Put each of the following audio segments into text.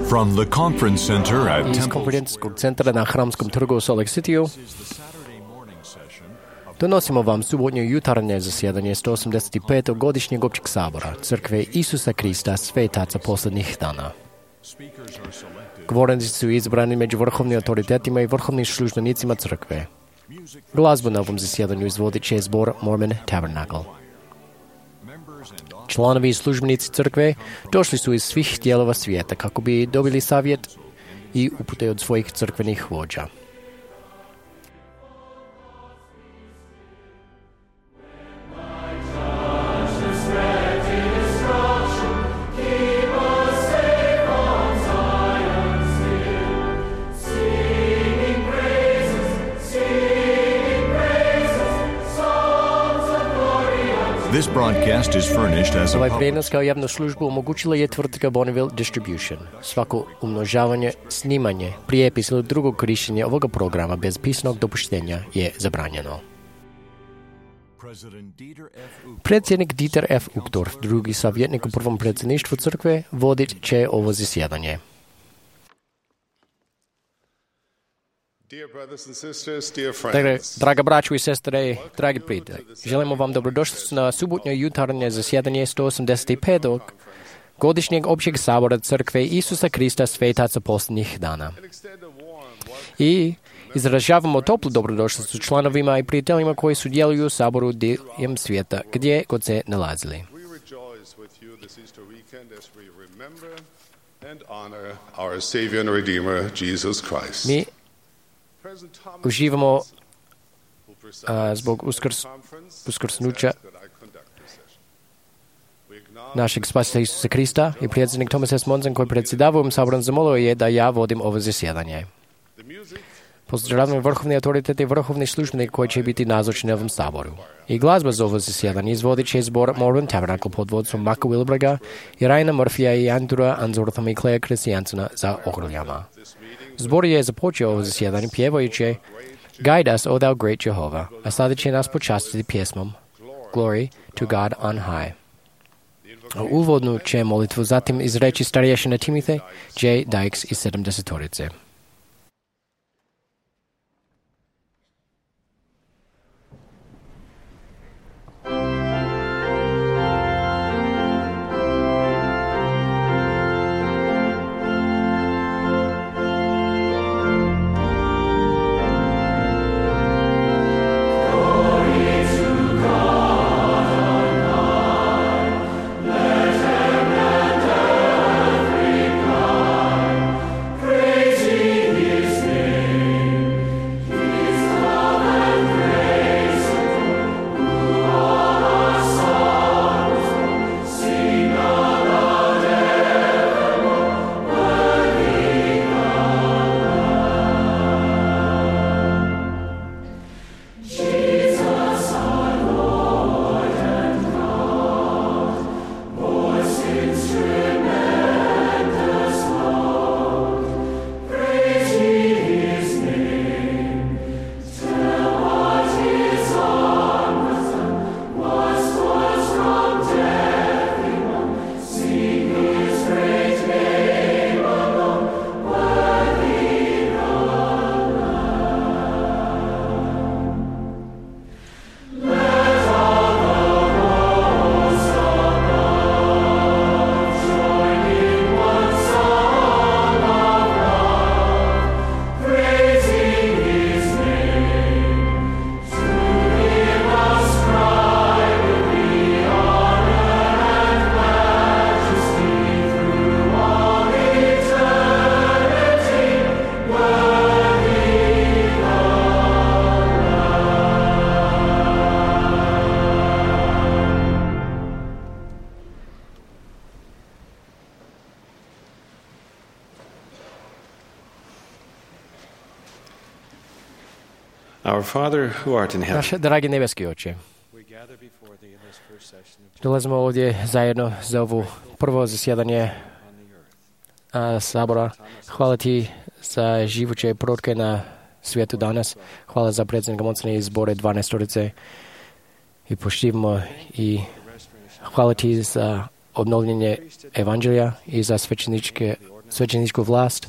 From the conference center at Iz Temple konferencijskog centra na Hramskom trgu u Salt Lake City-u donosimo vam subotnje jutarnje zasjedanje 185. godišnjeg općeg sabora Crkve Isusa Krista svetaca posljednjih dana. Govornici su izabrani među vrhovnim autoritetima i vrhovnim službenicima crkve. Glazbu na ovom zasjedanju izvodit će zbor Mormon Tabernacle. Članovi i službenici crkve došli su iz svih dijelova svijeta kako bi dobili savjet i upute od svojih crkvenih vođa. This broadcast is furnished as a Ovaj public prijenos kao javnu službu omogućila je tvrtka Bonneville Distribution. Svako umnožavanje, snimanje, prijepis ili drugog korištenja ovoga programa bez pisanog dopuštenja je zabranjeno. Predsjednik Dieter F. Uchtdorf, drugi savjetnik u prvom predsjedništvu crkve, vodit će ovo zasjedanje. Draga braćo i sestre, dragi prijatelji, želimo vam dobrodošlicu na subotnje jutarnje zasjedanje 185. godišnjeg općeg sabora Crkve Isusa Krista svetaca posljednjih dana. I izražavamo toplu dobrodošlicu članovima i prijateljima koji sudjeluju u saboru diljem svijeta, gdje god se nalazili. Mi uživamo zbog uskrsnuća našeg spasitelja Isusa Krista i predsjednik Thomas S. Monson koji predsjedava ovim saborom zamolio je da ja vodim ovo zasjedanje. Pozdravljam vrhovni autoritet i vrhovni službenik koji će biti nazočni na ovom saboru. I glazba za ovo zasjedanje izvodit će zbor Mormon Tabernacle pod vodstvom Maka Wilberga i Ryana Murphyja i Andrewa Anzorthama i Claire Christiansona za ogrljama. Zbor je započeo ovo zasjedanje pjevajući Guide us, O thou great Jehovah, a sada će nas počastiti pjesmom Glory to God on high. Uvodnu će molitvu zatim izreći starješina Timothy J. Dykes iz 70-torice. Our Father who art in heaven. Naš dragi nebeski Oče, dolazimo ovdje zajedno za ovo prvo zasjedanje sabora. Hvala ti za živuće prorke na svijetu danas. Hvala za predsjednika Monsona i zbore 12-torice i poštivamo i hvala ti za obnovljenje evanđelja i za svećeničke svećeničku vlast,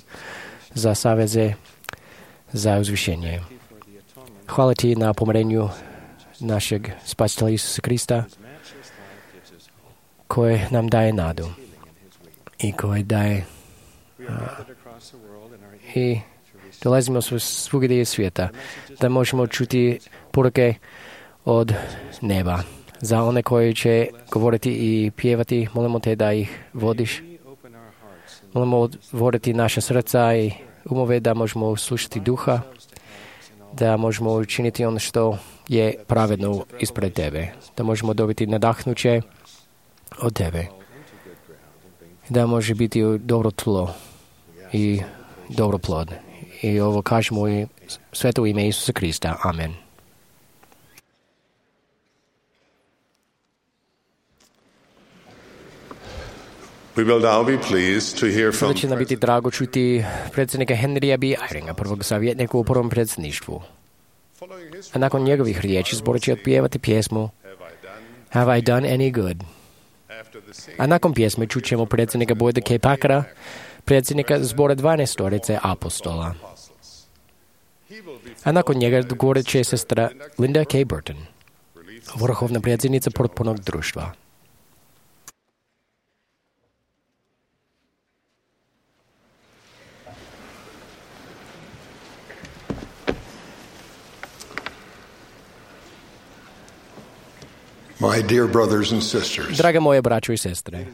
za saveze, za uzvišenje. Hvala ti na pomirenju našeg Spasitelja Isusa Krista, koji nam daje nadu i koji daje i dolazimo svugdje iz svijeta da možemo čuti poruke od neba. Za one koji će govoriti i pjevati, molimo te da ih vodiš. Molimo otvoriti naša srca i umove da možemo slušati duha, da možemo učiniti ono što je pravedno ispred tebe, da možemo dobiti nadahnuće od tebe, da može biti dobro tlo i dobro plod. I ovo kažemo u sveto ime Isusa Krista. Amen. We will now be pleased to hear from Sada će nam biti drago čuti predsjednika Henrya B. Eyringa, prvog savjetnika u prvom predsjedništvu. A nakon njegovih riječi zbor će otpjevati pjesmu Have I Done Any Good? A nakon pjesme čućemo predsjednika Boyda K. Packera, predsjednika zbora 12 apostola. A nakon njega govorit će sestra Linda K. Burton, vrhovna predsjednica potpornog društva. my dear brothers and sisters. Drage moje braćo i sestre,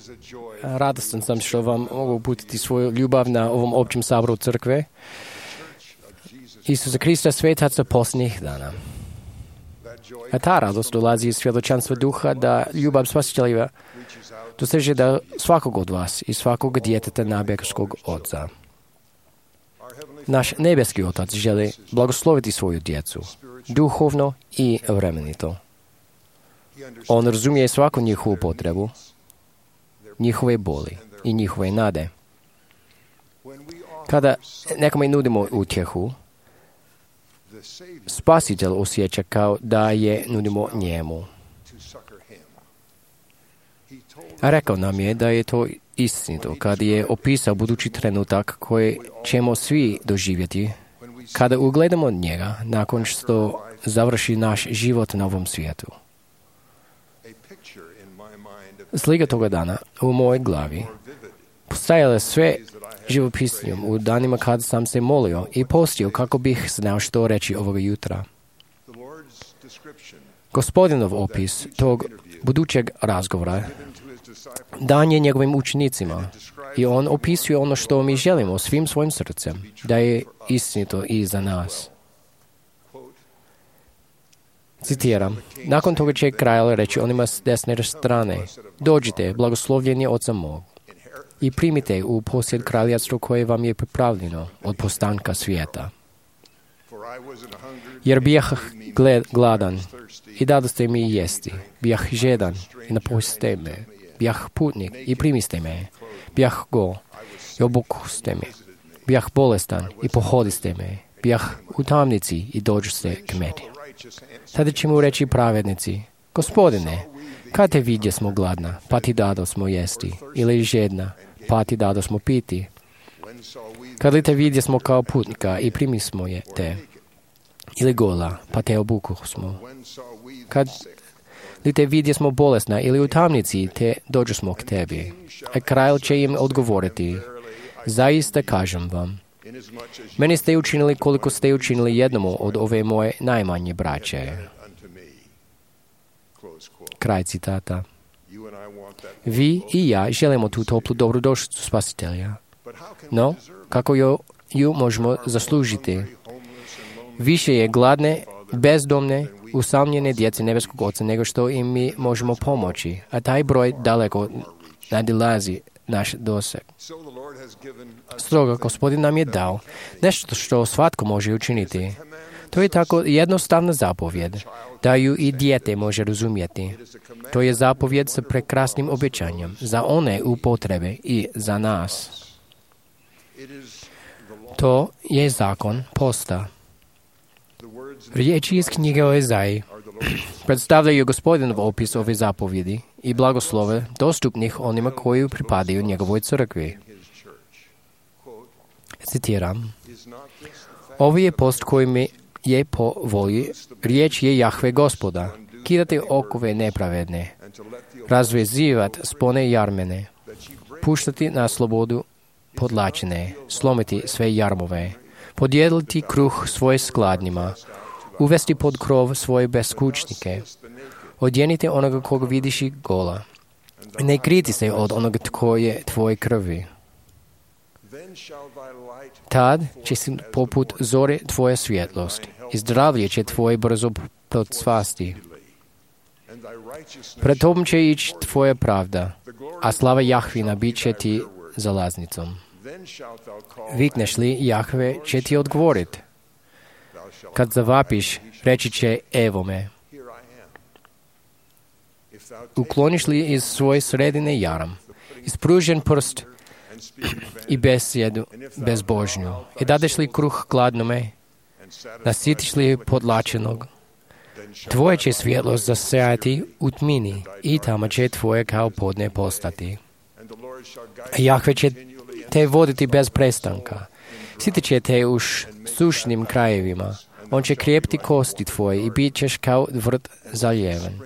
radostan sam što vam mogu uputiti svoju ljubav na ovom općem saboru crkve Isusa Krista, svetaca posljednjih dana. A ta radost dolazi iz svjedočanstva duha da ljubav Spasitelja doseže da svakog od vas i svakog djeteta nebeskog Oca. Naš nebeski Otac želi blagosloviti svoju djecu, duhovno i vremenito. On razumije svaku njihovu potrebu, njihove boli i njihove nade. Kada nekome nudimo utjehu, Spasitelj osjeća kao da je nudimo njemu. A rekao nam je da je to istinito kad je opisao budući trenutak koji ćemo svi doživjeti kada ugledamo njega nakon što završi naš život na ovom svijetu. Slika toga dana u mojoj glavi postajala sve živopisnijom u danima kad sam se molio i postio kako bih znao što reći ovoga jutra. Gospodinov opis tog budućeg razgovora dan je njegovim učenicima i on opisuje ono što mi želimo svim svojim srcem, da je istinito i za nas. Citiram, nakon toga će kralj reći onima s desne strane, dođite, blagoslovljeni Oca mog, i primite u posjed kraljevstvo koje vam je pripravljeno od postanka svijeta. Jer bijah gladan i dadoste mi jesti, bijah žedan i napojiste me, bijah putnik i primiste me, bijah go i obukuste me, bijah bolestan i pohodiste me, bijah u tamnici i dođuste k meni. Tada će mu reći pravednici, Gospodine, kad te vidje smo gladna, pa ti dado smo jesti, ili žedna, pa ti dado smo piti. Kad li te vidje smo kao putnika i primi smo je te, ili gola, pa te obuku smo. Kad li te vidje smo bolesna ili u tamnici, te dođu smo k tebi. A kralj će im odgovoriti, zaista kažem vam, meni ste učinili koliko ste učinili jednomu od ove moje najmanje braće. Kraj citata. Vi i ja želimo tu toplu dobrodošlicu Spasitelja. No, kako ju možemo zaslužiti? Više je gladne, bezdomne, usamljene djece nebeskog Oca nego što im mi možemo pomoći, a taj broj daleko nadilazi naš doseg. Stoga Gospodin nam je dao nešto što svatko može učiniti. To je tako jednostavna zapovjed, da ju i dijete može razumjeti. To je zapovjed sa prekrasnim obećanjem za one u potrebe i za nas. To je zakon posta. Riječi iz knjige o Ezaji predstavljaju Gospodinov opis ove zapovjedi i blagoslove dostupnih onima koji pripadaju njegovoj crkvi. Citiram: Ovo je post koji mi je po volji, riječ je Jahve Gospoda, kidati okove nepravedne, razvezivati spone jarmene, puštati na slobodu podlačene, slomiti sve jarmove, podijeliti kruh svoje skladnjima, uvesti pod krov svoje beskućnike, odjenite onoga koga vidiš i gola, ne kriti se od onoga tko je tvoje krvi. Tad će si poput zore tvoja svjetlost i zdravlje će tvoje brzo procvasti. Pred tobom će ići tvoja pravda, a slava Jahvina bit će ti zalaznicom. Vikneš li, Jahve će ti odgovorit. Kad zavapiš, reći će: evo me. Ukloniš li iz svoje sredine jaram, ispružen prst i besjedu bezbožnju, i dadeš li kruh gladnome, nasitiš li podlačenog, tvoje će svjetlost zasjati u tmini i tamo će tvoje kao podne postati. Jahve će te voditi bez prestanka, sitit će te u sušnim krajevima, on će krijepiti kosti tvoje i bit ćeš kao vrt zaljeven,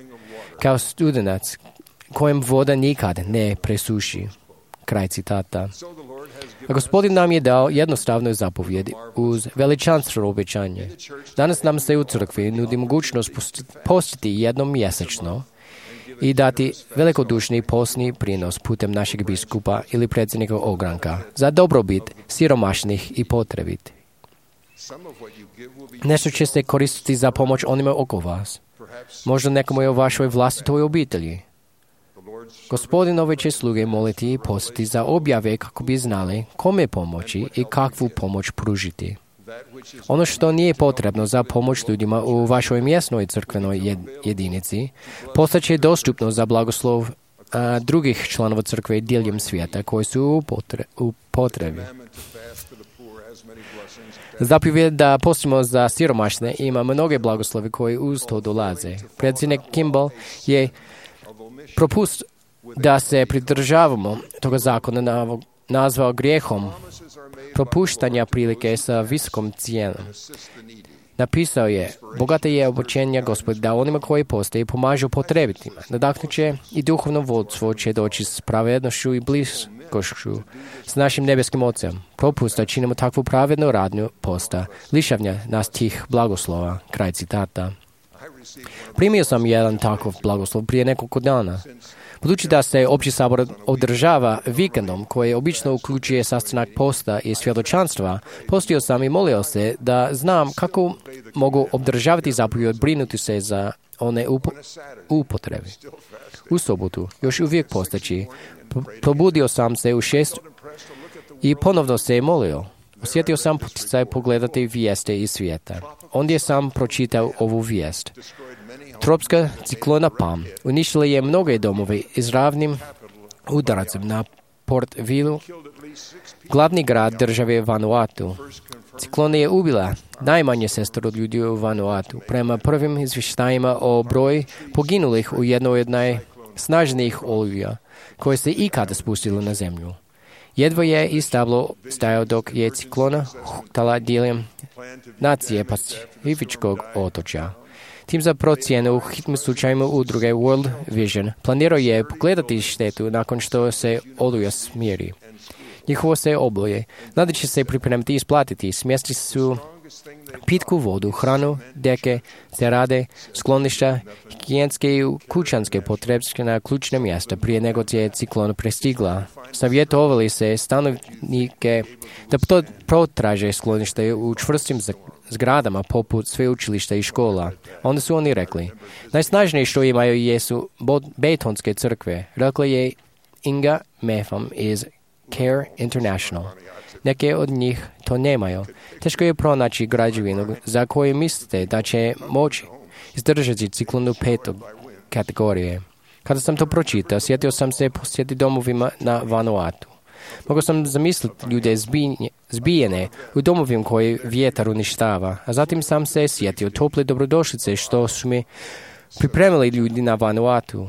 kao studenac kojem voda nikad ne presuši. Kraj citata. A Gospodin nam je dao jednostavnu zapovjed uz veličanstveno obećanje. Danas nam se u crkvi nudi mogućnost postiti jednom mjesečno i dati velikodušni posni prinos putem našeg biskupa ili predsjednika ogranka za dobrobit siromašnih i potrebitih. Nešto će se koristiti za pomoć onima oko vas. Možda nekomu je u vašoj vlastitoj obitelji. Gospodin ove će sluge moliti i postiti za objave kako bi znali kome pomoći i kakvu pomoć pružiti. Ono što nije potrebno za pomoć ljudima u vašoj mjesnoj crkvenoj jedinici, postaće dostupno za blagoslov drugih članova crkve diljem svijeta koji su u potrebi. Zapovjed da postimo za siromašne ima mnoge blagoslove koji uz to dolaze. Predsjednik Kimball je propust da se pridržavamo toga zakona nazvao grijehom propuštanja prilike sa visokom cijenom. Napisao je: bogate je obećanje Gospod da onima koji postoje pomažu potrebitima. Nadahnut će i duhovno vodstvo će doći s pravednošću i bliskošću s našim nebeskim Ocem. Propust da činimo takvu pravednu radnju posta lišavnja nas tih blagoslova. Kraj citata. Primio sam jedan takav blagoslov prije nekoliko dana. Budući da se opći sabor održava vikendom koji obično uključuje sastanak posta i svjedočanstva, postio sam i molio se da znam kako mogu obdržavati zapovjed brinuti se za one upotrebi. U sobotu, još uvijek postaći, probudio sam se u 6 i ponovno se molio. Osjetio sam poticaj pogledati vijeste iz svijeta. Ondje sam pročitao ovu vijest. Tropska ciklona Pam uništila je mnoge domove izravnim udaracem na Port Vilu, glavni grad države Vanuatu. Ciklona je ubila najmanje 6 ljudi u Vanuatu. Prema prvim izvještajima o broju poginulih u jednoj od najsnažnijih oluja koje se ikada spustilo na zemlju. Jedva je i stablo stajao dok je ciklona huktala diljem nacije Pacifičkog otočja. Tim za procjenu u hitnim slučajima udruge World Vision planirao je pogledati štetu nakon što se oluja smiri. Njihovo se obloje nadaće se pripremiti i isplatiti. Smjesti su pitku vodu, hranu, deke, cerade, skloništa, higijenske i kućanske potrepštine na ključna mjesta prije nego je ciklon prestigla. Savjetovali se stanovnike da protraže sklonište u čvrstim zgradama poput sveučilišta i škola. Onda su oni rekli: najsnažnije što imaju jesu betonske crkve. Rekla je Inga Mefam iz Care International. Neke od njih to nemaju. Teško je pronaći građevinu za koju mislite da će moći izdržati ciklonu 5. kategorije. Kada sam to pročitao, sjetio sam se posjeti domovima na Vanuatu. Mogao sam zamisliti ljude zbijene u domovima koje vjetar uništava, a zatim sam se sjetio tople dobrodošlice što su mi pripremili ljudi na Vanuatu.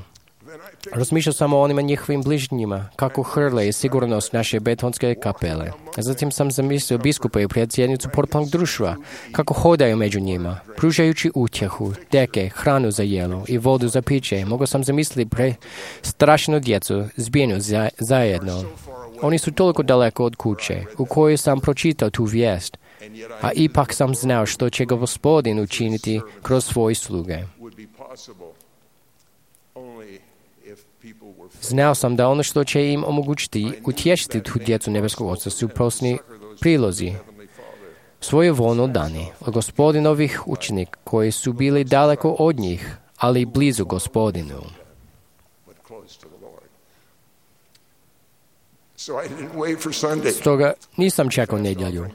Razmišljao sam o onima njihovim bližnjima, kako hrle i sigurnost naše betonske kapele. Zatim sam zamislio biskupa i predsjednicu portnog društva, kako hodaju među njima, pružajući utjehu, deke, hranu za jelo i vodu za piće. Mogao sam zamisliti strašnu djecu, zbijenu zajedno. Oni su toliko daleko od kuće, u kojoj sam pročitao tu vijest, a ipak sam znao što će Gospodin učiniti kroz svoje sluge. Znao sam da ono što će im omogućiti utješiti tu djecu nebeskog Oca su prosni prilozi, svojevoljno dani od Gospodinovih učenika koji su bili daleko od njih, ali blizu Gospodinu. Stoga nisam čekao nedjelju.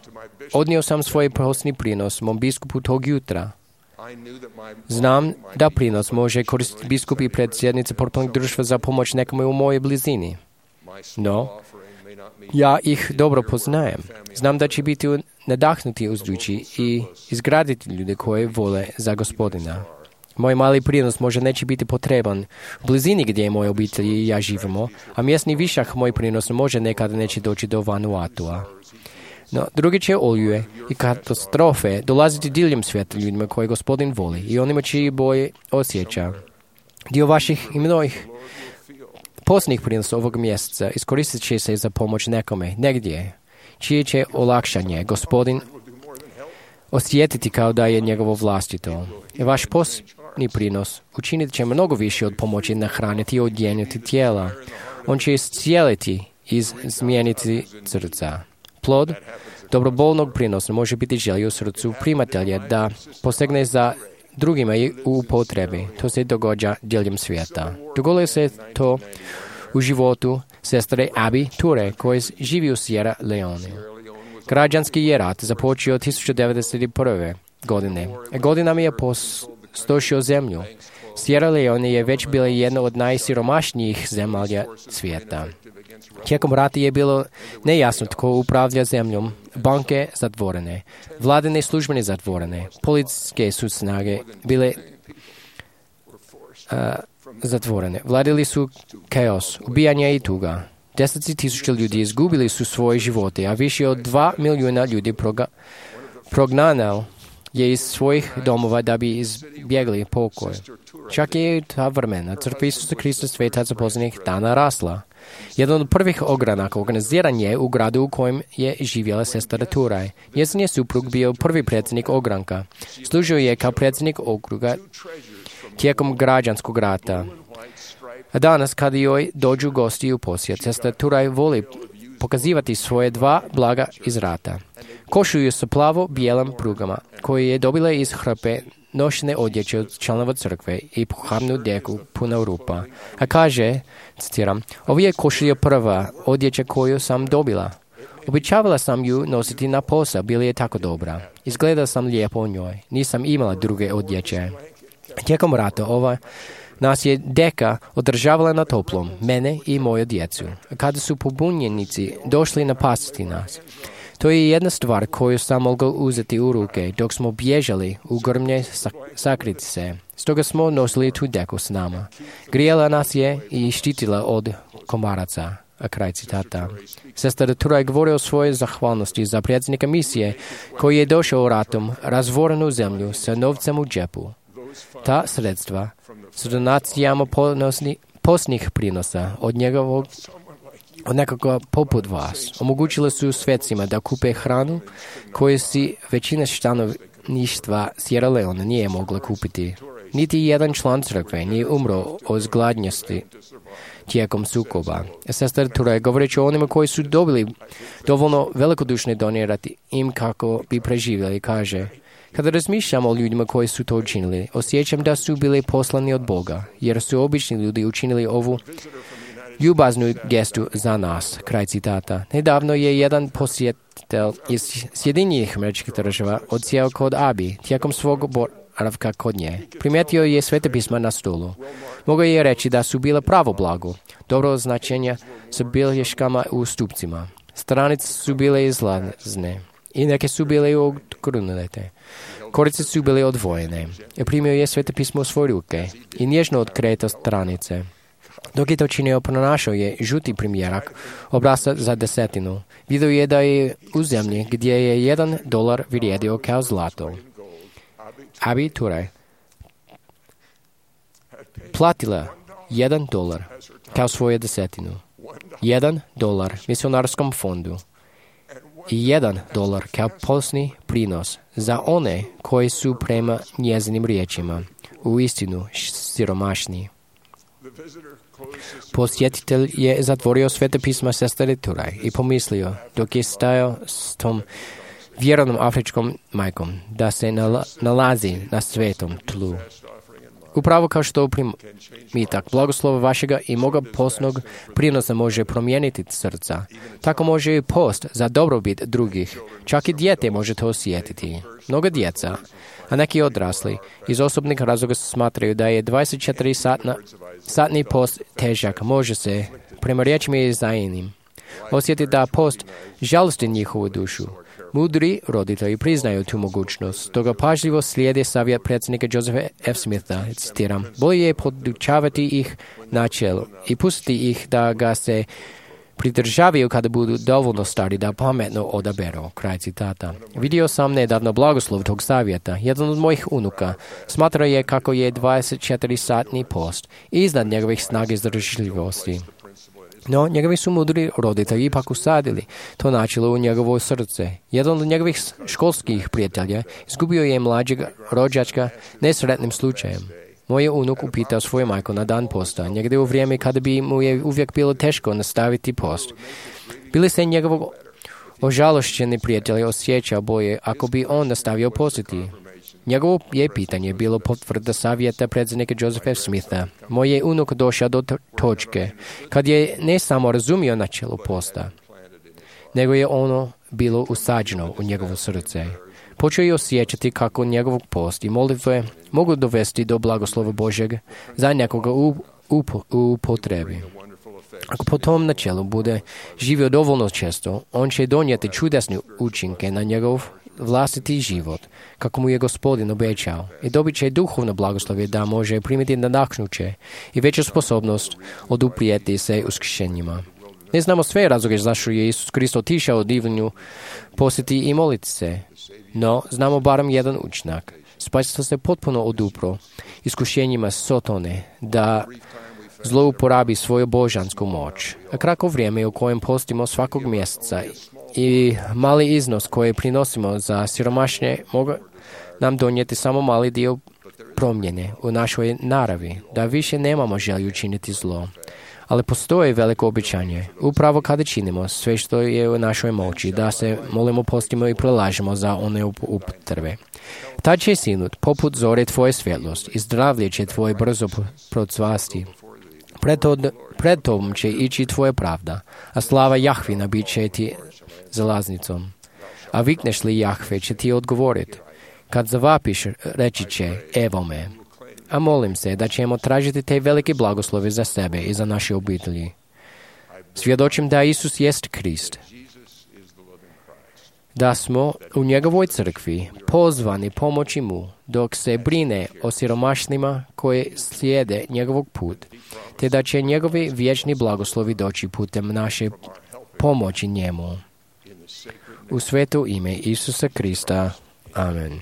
Odnio sam svoj prosni prinos mom biskupu tog jutra. Znam da prinos može koristiti biskup i predsjednice portnog društva za pomoć nekome u mojoj blizini. No, ja ih dobro poznajem. Znam da će biti nadahnuti uzdući i izgraditi ljude koje vole za Gospodina. Moj mali prinos možda neće biti potreban u blizini gdje moje obitelji i ja živimo, a mjesni višak moj prinos možda nekada neće doći do Vanuatua. No, drugi će oluje i katastrofe dolaziti diljem svijeta ljudima koje Gospodin voli i onima čiji boje osjeća. Dio vaših i mnojih posljednjih prinosa ovog mjeseca iskoristit će se za pomoć nekome, negdje, čije će olakšanje Gospodin osjetiti kao da je njegovo vlastito. I vaš posljednji prinos učinit će mnogo više od pomoći nahraniti i odjeniti tijela. On će iscijeliti i izmijeniti srca. Plod dobrovoljnog prinosa može biti želja u srcu primatelja da posegne za drugima i u potrebi. To se događa diljem svijeta. Dogodilo se to u životu sestre Abby Ture, koja živi u Sierra Leone. Građanski je rat započeo 1991. godine. Godinama je postošio zemlju. Sierra Leone je već bila jedna od najsiromašnijih zemalja svijeta. Tijekom rata je bilo nejasno tko upravlja zemljom, banke zatvorene, vladine službene zatvorene, policijske su snage bile zatvorene. Vladili su kaos, ubijanja i tuga. 10.000 ljudi izgubili su svoje živote, a više od 2 milijuna ljudi prognano je iz svojih domova da bi izbjegli pokoj. Čak je ta vremena crkva Isusa Krista svetaca posljednjih dana rasla. Jedan od prvih ogranaka organiziran je u gradu u kojem je živjela sestra Turaj. Njezin je suprug bio prvi predsjednik ogranka. Služio je kao predsjednik okruga tijekom građanskog rata. A danas, kada joj dođu gosti u posjet, sestra Turaj voli pokazivati svoje 2 blaga iz rata. Košulju sa plavo-bijelim prugama, koje je dobila iz hrpe nošene odjeće od članova crkve i pohabnu deku puna rupa. A kaže, citiram, ovo je košulja prva odjeća koju sam dobila. Običavala sam ju nositi na posao, bila je tako dobra. Izgledala sam lijepo u njoj. Nisam imala druge odjeće. Tijekom rata nas je deka održavala na toplom, mene i moju djecu. Kada su pobunjenici došli napasti nas, to je jedna stvar koju sam mogao uzeti u ruke dok smo bježali u grmlje sakriti se. Stoga smo nosili tu deku s nama. Grijala nas je i štitila od komaraca. A kraj citata. Sestra Turaj govori o svojoj zahvalnosti za predsjednika misije koji je došao ratom razvorenu zemlju sa novcem u džepu. Ta sredstva s donacijama posljednjih prinosa od nekoga poput vas omogućile su svecima da kupe hranu koju si većina stanovništva Sierra Leone nije mogla kupiti. Niti jedan član crkve nije umro od gladnjosti tijekom sukoba. Sestra Turaj govoreći o onima koji su dobili dovoljno velikodušne donirati im kako bi preživjeli, kaže: kada razmišljam o ljudima koji su to učinili, osjećam da su bili poslani od Boga, jer su obični ljudi učinili ovu ljubaznu gestu za nas. Kraj citata. Nedavno je jedan posjetitelj iz Sjedinjenih Američkih Država odsjeo kod Abi tijekom svog boravka kod nje. Primijetio je Sveta pisma na stolu. Mogao je reći da su bila pravo blago, dobro označenja sa bilješkama u stupcima. Stranice su bile izlazne i neke su bile odgrnute. Korice su bile odvojene. Primio je Sveta pismo u svoje ruke i nježno otkretao stranice. Dok je to činio, pronašao je žuti primjerak obrasca za desetinu. Vidio je da je u zemlji gdje je $1 vrijedio kao zlato. Abi Ture platila $1 kao svoju desetinu. $1 misionarskom fondu i $1 kao posni prinos za one koji su prema njezinim riječima u istinu siromašni. Posjetitelj je zatvorio Svete pisma sestre Turaj i pomislio, dok je stajao s tom vjernom afričkom majkom, da se nalazi na svetom tlu. Upravo kao što primitak blagoslova vašega i moga postnog prinosa može promijeniti srca, tako može i post za dobrobit drugih. Čak i dijete može to osjetiti. Mnoga djeca, a neki odrasli, iz osobnih razloga smatraju da je 24-satni post težak, može se, prema riječima Izaijinim, osjetiti da post žalosti njihovu dušu. Mudri roditelji priznaju tu mogućnost, toga pažljivo slijede savjet predsjednika Josepha F. Smitha, citiram, bolje je podučavati ih načelu i pustiti ih da ga se pridržavaju kada budu dovoljno stari da pametno odaberu. Kraj citata. Vidio sam nedavno blagoslov tog savjeta. Jedan od mojih unuka smatra je kako je 24-satni post iznad njegovih snaga izdržljivosti. No, njegovi su mudri roditelji ipak usadili to načelo u njegovo srce. Jedan od njegovih školskih prijatelja izgubio je mlađeg rođačka nesretnim slučajem. Moj unuk upitao svoju majku na dan posta, negdje u vrijeme kada bi mu je uvijek bilo teško nastaviti post. Bili se njegovog ožalošćeni prijatelj osjećao bolje ako bi on nastavio postiti. Njegovo je pitanje bilo potvrda savjeta predsjednika Josepha F. Smitha. Moj je unuk došao do točke kad je ne samo razumio načelo posta, nego je ono bilo usađeno u njegovo srce. Počeo je osjećati kako njegov post i molitve mogu dovesti do blagoslova Božjeg za nekoga u potrebi. Ako po tom načelu bude živio dovoljno često, on će donijeti čudesne učinke na njegov vlastiti život, kako mu je Gospodin obećao, i dobit će duhovno blagoslove da može primiti nadahnuće i veću sposobnost oduprijeti se uskršenjima. Ne znamo sve razloge zašto je Isus Krist otišao u divlju posjeti i moliti se, no znamo barem jedan učinak. Spasitelj se potpuno odupro iskušenjima Sotone da zlouporabi svoju božansku moć. A kratko vrijeme u kojem postimo svakog mjeseca i mali iznos koji prinosimo za siromašne mogu nam donijeti samo mali dio promjene u našoj naravi, da više nemamo želju činiti zlo. Ali postoji veliko obećanje, upravo kada činimo sve što je u našoj moći, da se molimo, postimo i prelažemo za one upotrebe. Tad će sinut poput zore tvoje svjetlost i zdravlje će tvoje brzo procvasti. Pred tom će ići tvoja pravda, a slava Jahvina bit će ti zalaznicom. A vikneš li Jahve će ti odgovoriti. Kad zavapiš, reći će, evo me. A molim se da ćemo tražiti te velike blagoslove za sebe i za naše obitelji. Svjedočim da Isus jest Krist. Da smo u njegovoj crkvi pozvani pomoći mu dok se brine o siromašnima koji slijede njegovog put, te da će njegovi vječni blagoslovi doći putem naše pomoći njemu. U sveto ime Isusa Krista. Amen.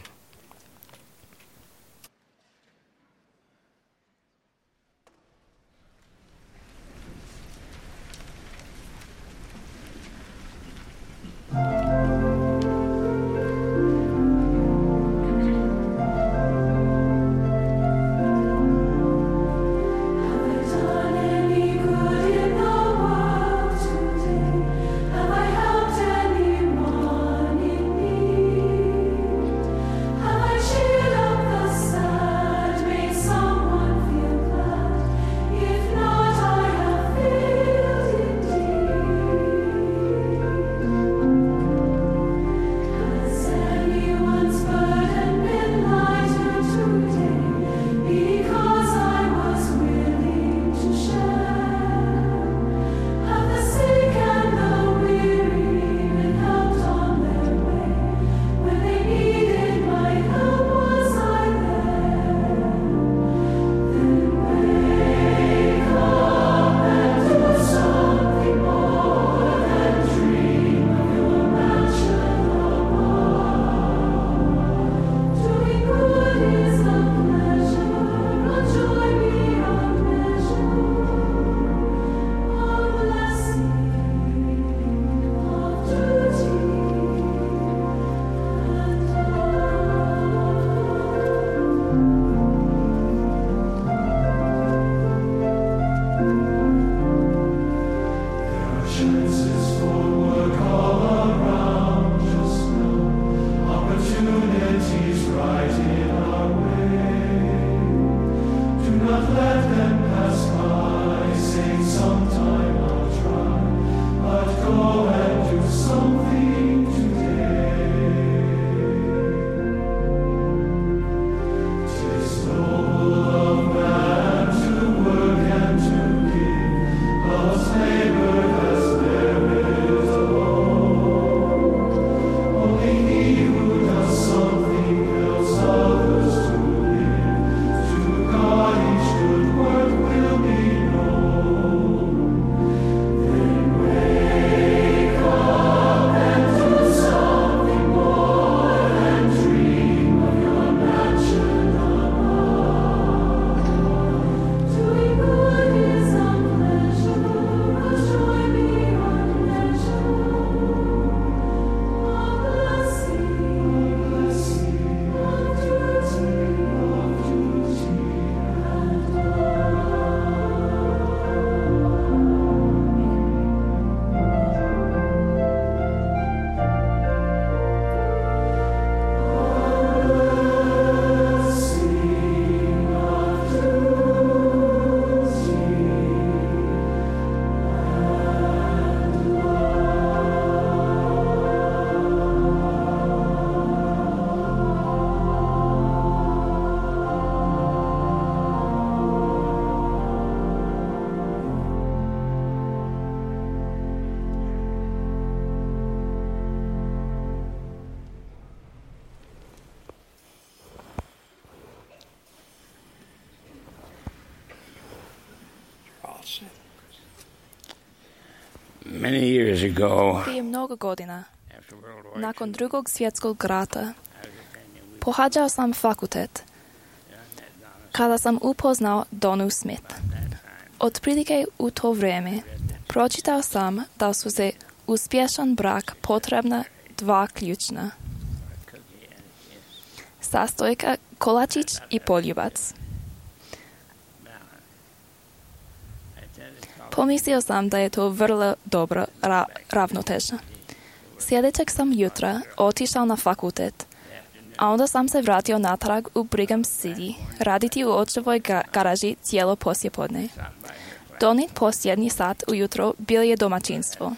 Many years ago, Prije mnogo godina, after World War nakon drugog svjetskog rata, pohađao sam fakultet kada sam upoznao Donu Smith. Otprilike u to vrijeme pročitao sam da su za uspješan brak potrebna dva ključna sastojka, kolačić i poljubac. Pomislio sam da je to vrlo dobro ravnoteža. Sljedećeg sam jutra otišao na fakultet, a onda sam se vratio natrag u Brigham City raditi u očevoj garaži cijelo poslijepodne. Donit posljednji sat ujutro bil je domaćinstvo.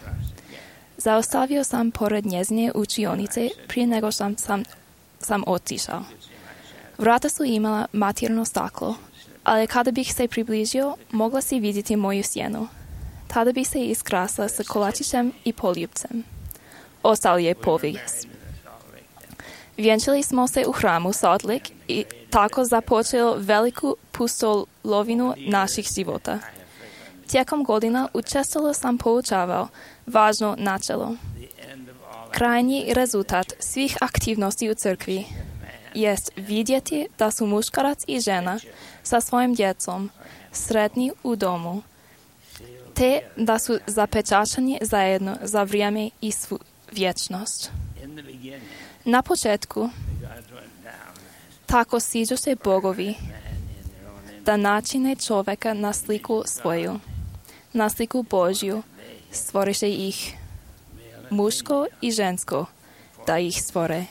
Zaustavio sam pored njezine učionice prije nego sam otišao. Vrata su imala matirno staklo, ali kada bih se približio, mogla si vidjeti moju sjenu. Tada bi se iskrasla sa kolačićem i poljubcem. Ostao je povijest. Vjenčali smo se u hramu Salt Lake i tako započelo veliku pustolovinu naših života. Tijekom godina učestalo sam poučavao važno načelo. Krajnji rezultat svih aktivnosti u crkvi jest vidjeti da su muškarac i žena sa svojim djecom sretni u domu, te da su zapečaćeni zajedno za vrijeme i vječnost. Na početku tako siđu se bogovi da načine čovjeka na sliku svoju, na sliku Božju, stvoriše ih muško i žensko, da ih stvore.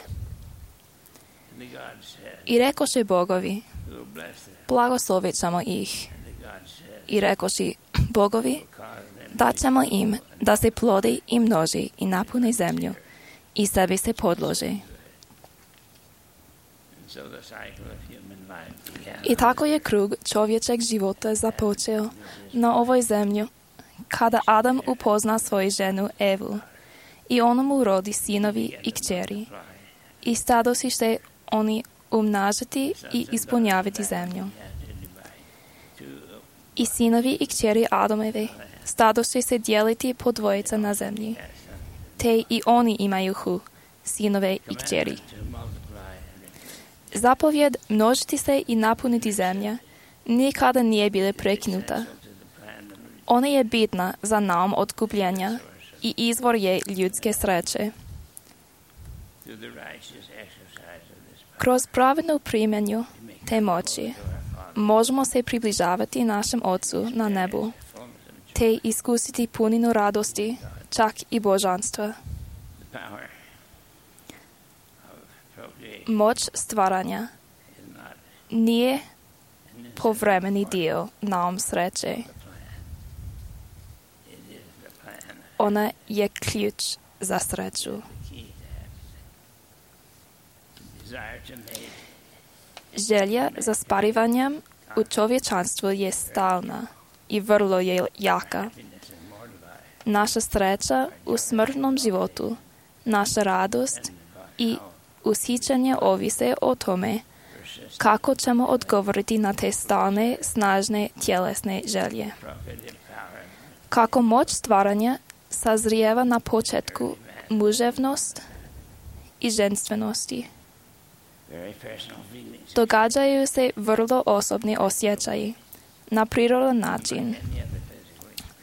I rekoše bogovi, blagoslovit ćemo ih. I rekoše bogovi, dat ćemo im da se plode i množi i napune zemlju i sebi se podlože. I tako je krug čovječeg života započeo na ovoj zemlji, kada Adam upozna svoju ženu Evu i ona mu rodi sinovi i kćeri. I stadosi se oni umnažati i ispunjavati zemlju. I sinovi i kćeri Adamove stadosi se dijeliti po dvojica na zemlji, te i oni imaju sinove i kćeri. Zapovjed množiti se i napuniti zemlja nikada nije bila prekinuta. Ona je bitna za naum otkupljenja i izvor je ljudske sreće. Kroz pravednu primjenju te moći možemo se približavati našem Otcu na nebu, te iskusiti puninu radosti, čak i božanstva. Moć stvaranja nije povremeni dio naum sreće. Ona je ključ za sreću. Želja za sparivanjem u čovječanstvu je stalna i vrlo je jaka. Naša sreća u smrtnom životu, naša radost i ushićenje ovise o tome kako ćemo odgovoriti na te stalne, snažne tjelesne želje. Kako moć stvaranja sazrijeva na početku muževnost i ženstvenosti. Događaju se vrlo osobni osjećaji, na prirodan način,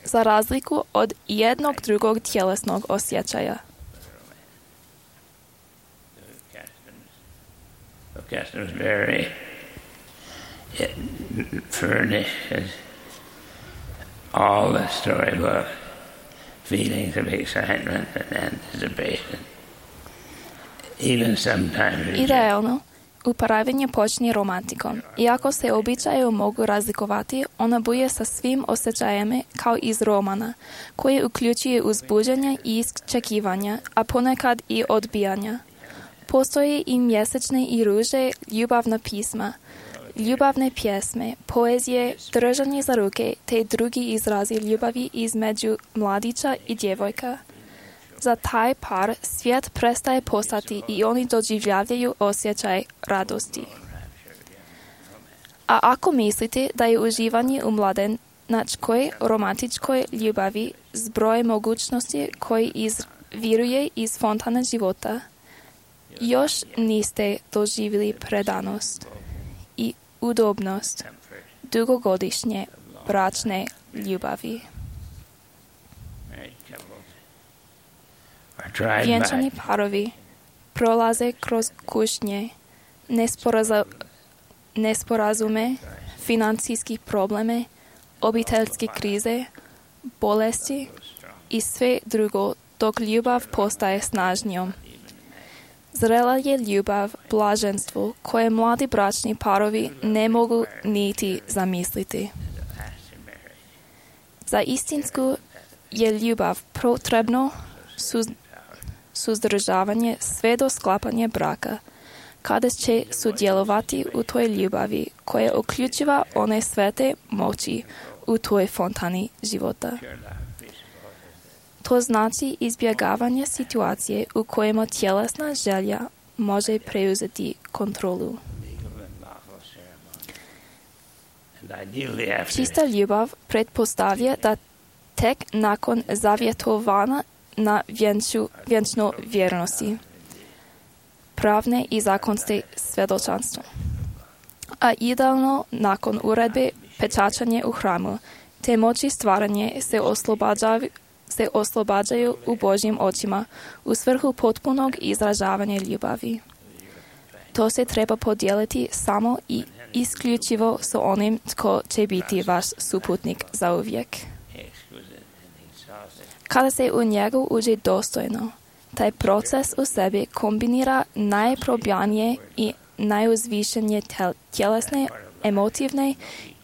za razliku od jednog drugog tjelesnog osjećaja. Customs vary. It furnishes all the storybook feelings of excitement and anticipation. Even sometimes Idealno, upravljanje počinje romantikom. Iako se običaje mogu razlikovati, ona buje sa svim osjećajima kao iz romana, koji uključuje uzbuđenje i iščekivanja, a ponekad i odbijanja. Postoje i mjesečne i ruže ljubavna pisma, ljubavne pjesme, poezije, držanje za ruke te drugi izrazi ljubavi između mladića i djevojka. Za taj par svijet prestaje postati i oni doživljavaju osjećaj radosti. A ako mislite da je uživanje u zajedničkoj romantičkoj ljubavi, zbroj mogućnosti koji izviruje iz fontana života, još niste doživjeli predanost i udobnost dugogodišnje bračne ljubavi. Vjenčani parovi prolaze kroz kušnje, nesporazume, financijskih probleme, obiteljske krize, bolesti i sve drugo, dok ljubav postaje snažnijom. Zrela je ljubav blaženstvo koje mladi bračni parovi ne mogu niti zamisliti. Za istinsku je ljubav potrebno suzdržavanje sve do sklapanja braka, kada će sudjelovati u toj ljubavi koja uključiva one svete moći u toj fontani života. To znači izbjegavanje situacije u kojima tjelesna želja može preuzeti kontrolu. Čista ljubav pretpostavlja da tek nakon zavjetovanja na vjenčno vjernosti, pravne i zakonske svjedočanstvo, a idealno nakon uredbe pečačanje u hramu, te moći stvaranje se oslobađaju u Božjim očima u svrhu potpunog izražavanja ljubavi. To se treba podijeliti samo i isključivo s onim tko će biti vaš suputnik zauvijek. Kada se u njegu uđe dostojno, taj proces u sebi kombinira najprobljanije i najuzvišenije tjelesne, emotivne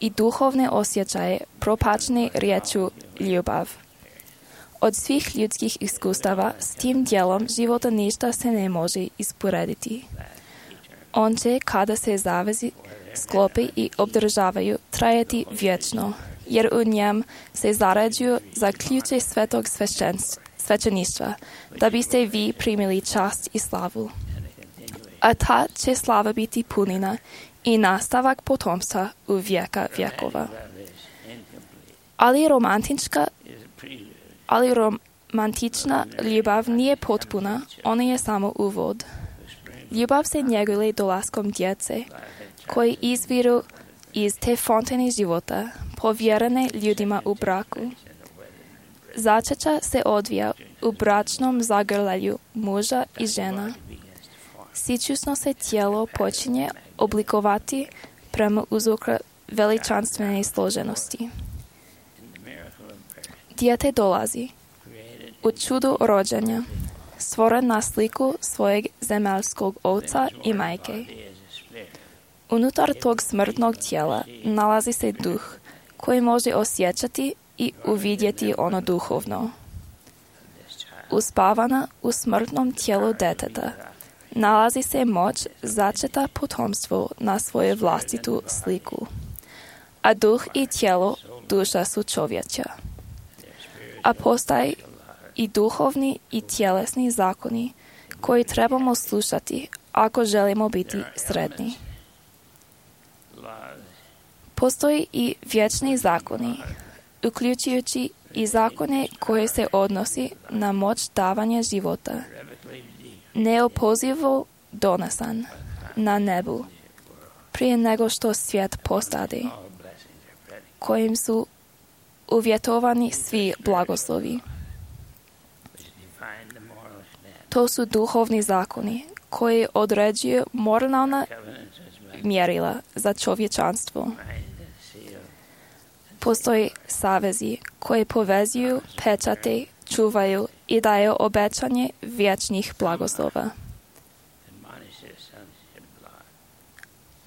i duhovne osjećaje propačne riječu ljubav. Od svih ljudskih iskustava s tim dijelom života ništa se ne može usporediti. On će, kada se zavezi sklopi i obdržavaju, trajati vječno, jer u njem se zarađuju za ključe svetog svećeništva, da biste vi primili čast i slavu. A ta će slava biti punina i nastavak potomstva u vijeka vjekova. Ali romantična ljubav nije potpuna, ona je samo uvod. Ljubav se njeguje dolaskom djece, koji izviru iz te fontane života, povjerene ljudima u braku. Začeća se odvija u bračnom zagrljaju muža i žena. Sičusno se tijelo počinje oblikovati prema uzroku veličanstvene složenosti. Dijete dolazi u čudu rođenja, stvoren na sliku svojeg zemaljskog oca i majke. Unutar tog smrtnog tijela nalazi se duh koji može osjećati i uvidjeti ono duhovno. Uspavana u smrtnom tijelu djeteta nalazi se moć začeta potomstvo na svoju vlastitu sliku, a duh i tijelo, duša su čovječa. A postoje i duhovni i tjelesni zakoni koji trebamo slušati ako želimo biti sretni. Postoji i vječni zakoni, uključujući i zakone koje se odnosi na moć davanja života, neopozivo donesan na nebu, prije nego što svijet postade, kojim su uvjetovani svi blagoslovi. To su duhovni zakoni koji određuju moralna mjerila za čovječanstvo. Postoje savezi koji povezuju, pečate, čuvaju i daju obećanje vječnih blagoslova.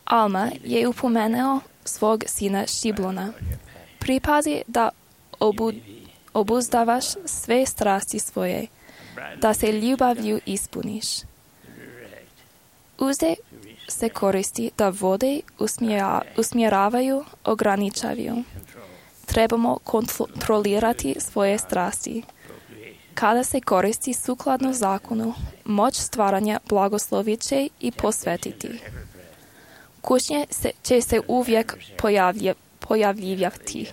Alma je upomenuo svog sina Šiblona. Pripazi da obuzdavaš sve strasti svoje, da se ljubavlju ispuniš. Uzde se koristi da vode usmjeravaju, ograničavaju. Trebamo kontrolirati svoje strasti. Kada se koristi sukladno zakonu, moć stvaranja blagoslovit će i posvetiti. Kušnje će se uvijek pojavljivati.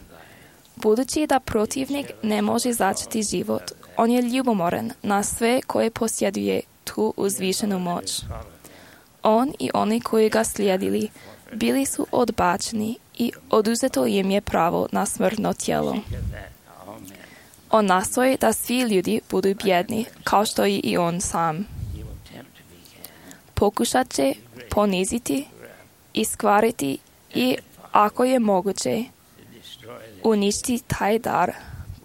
Budući da protivnik ne može začeti život, on je ljubomoran na sve koje posjeduje tu uzvišenu moć. On i oni koji ga slijedili bili su odbačeni i oduzeto im je pravo na smrtno tijelo. On nastoji da svi ljudi budu bjedni, kao što i on sam. Pokušat će poniziti, iskvariti i, ako je moguće, uništiti taj dar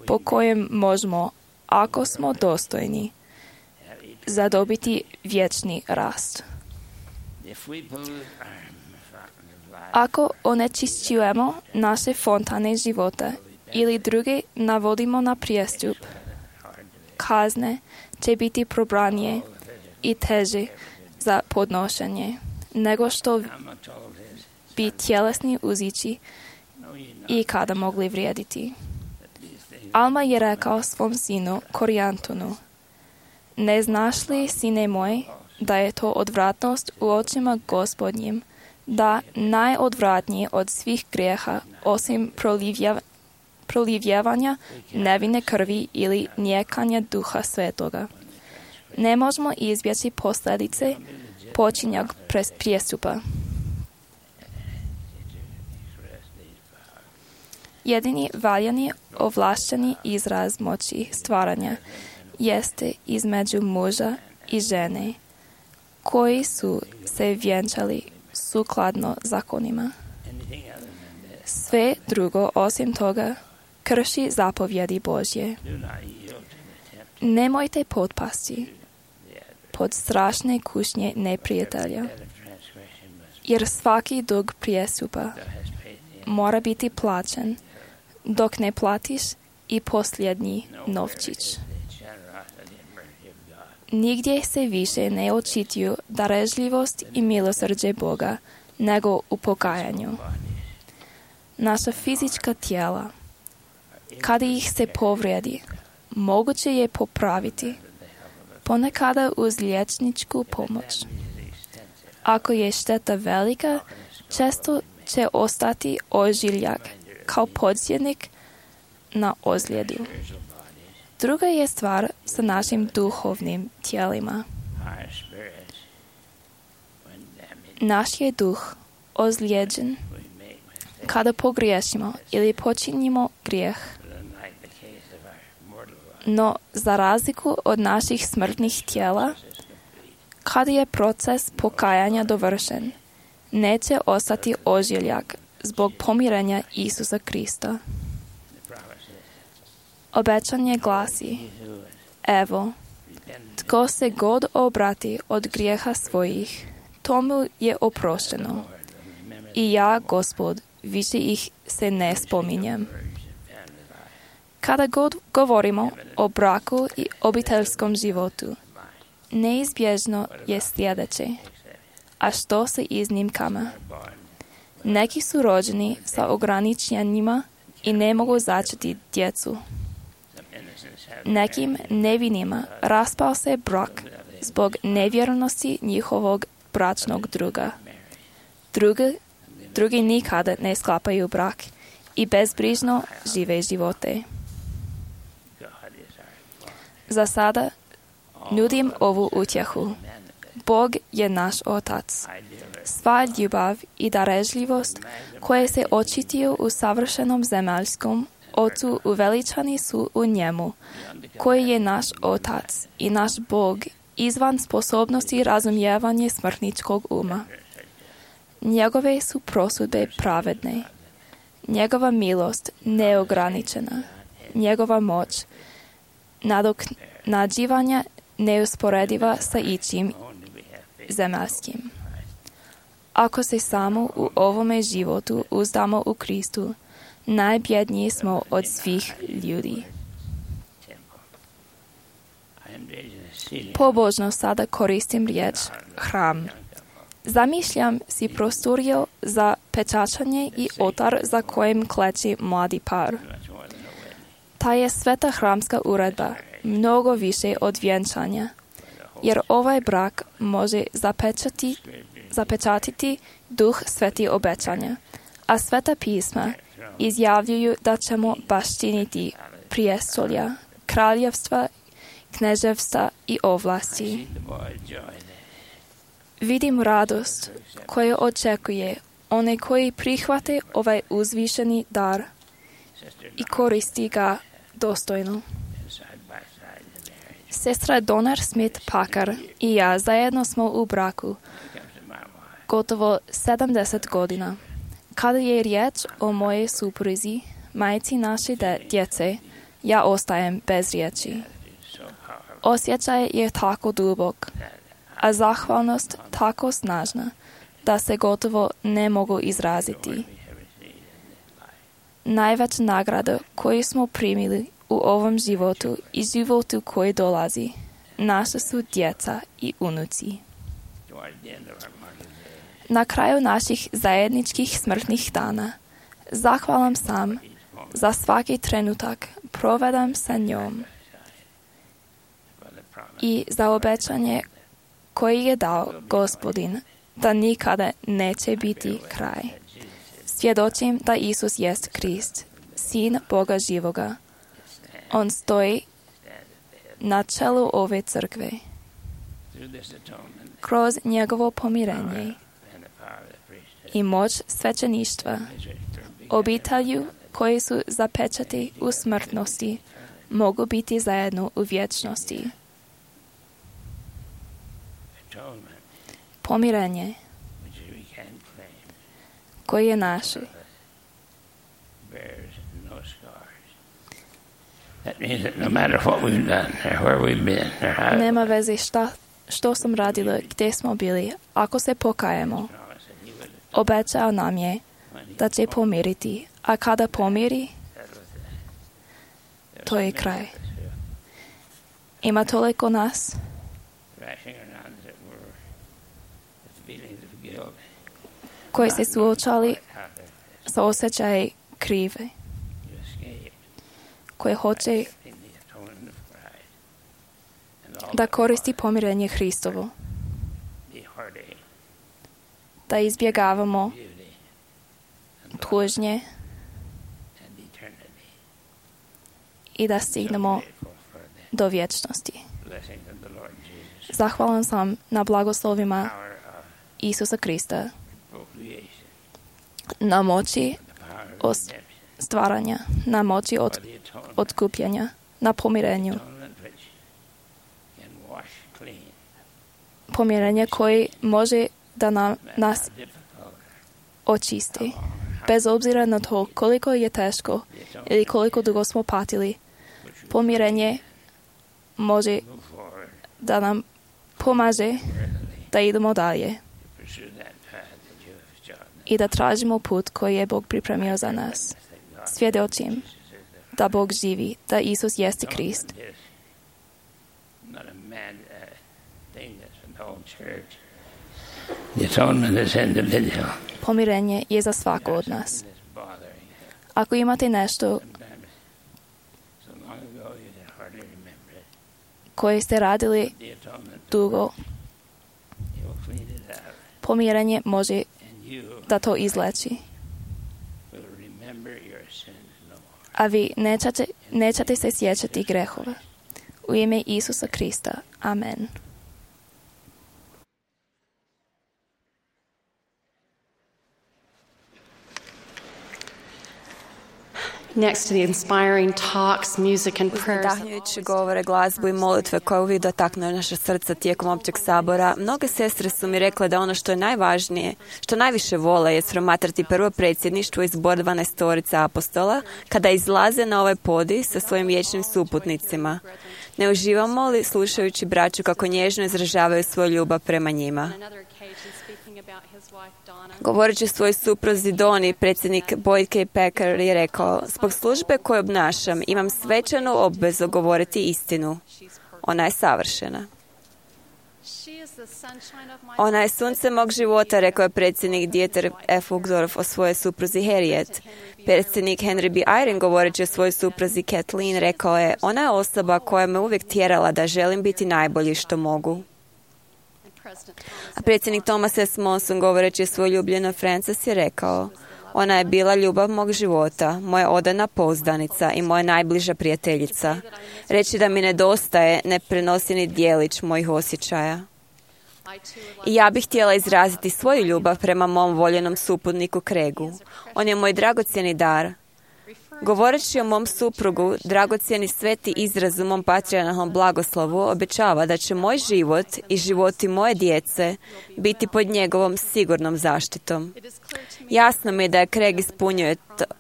po kojem možemo, ako smo dostojni, zadobiti vječni rast. Ako onečišćujemo naše fontane života ili druge navodimo na prijestup, kazne će biti probranije i teže za podnošenje nego što bi tjelesni uzići i kada mogli vrijediti. Alma je rekao svom sinu Korijantonu: ne znaš li, sine moj, da je to odvratnost u očima Gospodnjim, da najodvratnije od svih grijeha, osim prolivljavanja nevine krvi ili nijekanja Duha Svetoga. Ne možemo izbjeći posljedice počinjeg prijestupa. Jedini valjani ovlašteni izraz moći stvaranja jeste između muža i žene, koji su se vjenčali sukladno zakonima. Sve drugo osim toga krši zapovjedi Božje. Nemojte potpasti pod strašne kušnje neprijatelja, jer svaki dug prijestupa mora biti plaćen, dok ne platiš i posljednji novčić. Nigdje se više ne očituju darežljivost i milosrđe Boga nego u pokajanju. Naša fizička tijela, kada ih se povrijedi, moguće je popraviti, ponekada uz liječničku pomoć. Ako je šteta velika, često će ostati ožiljak kao podsjetnik na ozljedu. Druga je stvar sa našim duhovnim tijelima. Naš je duh ozlijeđen kada pogriješimo ili počinimo grijeh. No, za razliku od naših smrtnih tijela, kada je proces pokajanja dovršen, neće ostati ožiljak zbog pomirenja Isusa Krista. Obećanje glasi: evo, tko se god obrati od grijeha svojih, tomu je oprošteno. I ja, Gospod, više ih se ne spominjem. Kada god govorimo o braku i obiteljskom životu, neizbježno je sljedeće, a što sa iznimkama? Neki su rođeni sa ograničenjima i ne mogu začeti djecu. Nekim nevinima raspao se brak zbog nevjernosti njihovog bračnog druga. Drugi nikada ne sklapaju brak i bezbrižno žive živote. Za sada nudim ovu utjehu. Bog je naš Otac. Sva ljubav i darežljivost koje se očituju u savršenom zemaljskom Ocu uveličani su u njemu, koji je naš Otac i naš Bog izvan sposobnosti razumijevanja smrtničkog uma. Njegove su prosudbe pravedne, njegova milost neograničena, njegova moć nadoknađivanja neusporediva sa ičim zemaljskim. Ako se samo u ovome životu uzdamo u Kristu, najbjedniji smo od svih ljudi. Pobožno sada koristim riječ hram. Zamišljam si prostoriju za pečačanje i oltar za kojim kleči mladi par. Ta je sveta hramska uredba mnogo više od vjenčanja, jer ovaj brak može zapečatiti duh sveti obećanja, a sveta pisma izjavljuju da ćemo baštiniti prijestolja, kraljevstva, kneževstva i ovlasti. Vidim radost koja očekuje one koji prihvate ovaj uzvišeni dar i koristi ga dostojno. Sestra Donner Smith Packer i ja zajedno smo u braku gotovo 70 godina. Kada je riječ o mojej supruzi, majci naše djece, ja ostajem bez riječi. Osjećaj je tako dubok, a zahvalnost tako snažna, da se gotovo ne mogu izraziti. Najveća nagrada koju smo primili u ovom životu i životu koji dolazi, naša su djeca i unuci. Na kraju naših zajedničkih smrtnih dana, zahvalan sam za svaki trenutak provedem sa njom i za obećanje koji je dao Gospodin, da nikada neće biti kraj. Svjedočim da Isus jest Krist, Sin Boga živoga. On stoji na čelu ove crkve. Kroz njegovo pomirenje i moć svećeništva, obitelju koji su zapečati u smrtnosti, mogu biti zajedno u vječnosti. Pomirenje koje je naše. Nema veze što sam radila, gdje smo bili, ako se pokajemo. Obećao nam je da će pomiriti, a kada pomiri, to je kraj. Ima toliko nas koji se suočali sa osjećaj krive, koji hoće da koristi pomirenje Hristovo, da izbjegavamo tužnje i da stignemo do vječnosti. Zahvalan sam na blagoslovima Isusa Krista, na moći stvaranja, na moći otkupljanja, na pomirenju. Pomirenje koji može da nas očisti. Bez obzira na to koliko je teško ili koliko dugo smo patili, pomirenje može da nam pomaže da idemo dalje i da tražimo put koji je Bog pripremio za nas. Svjedočim da Bog živi, da Isus jeste Krist. Pomirenje je za svako od nas. Ako imate nešto koje ste radili dugo, pomirenje može da to izleči. A vi nećete se sjećati grehova. U ime Isusa Krista. Amen. Next to the inspiring talks, music and prayers. Udahnujući govore, glazbu i molitve koje uvijek dotaknu naše srca tijekom općeg sabora, mnoge sestre su mi rekle da ono što je najvažnije, što najviše vole, je promatrati prvo predsjedništvo izbor 12 apostola kada izlaze na ovaj podij sa svojim vječnim suputnicima. Ne uživamo li slušajući braću kako nježno izražavaju svoju ljubav prema njima? Govoreći svojoj supruzi Doni, predsjednik Boyd K. Packer je rekao: zbog službe koju obnašam, imam svečanu obvezu govoriti istinu. Ona je savršena. Ona je sunce mog života, rekao je predsjednik Dieter F. Uchtdorf o svojoj supruzi Harriet. Predsjednik Henry B. Eyring, govoreći o svojoj supruzi Kathleen, rekao je: ona je osoba koja me uvijek tjerala da želim biti najbolji što mogu. A predsjednik Thomas S. Monson, govoreći o svojoj ljubljenoj Frances, je rekao: Ona je bila ljubav mog života, moja odana pouzdanica i moja najbliža prijateljica. Reći da mi nedostaje ne prenosi ni djelić mojih osjećaja. I ja bih htjela izraziti svoju ljubav prema mom voljenom suputniku Craigu. On je moj dragocjeni dar. Govoreći o mom suprugu, dragocjeni sveti izraz u mom patrijarhalnom blagoslovu obećava da će moj život i životi moje djece biti pod njegovom sigurnom zaštitom. Jasno mi je da je Craig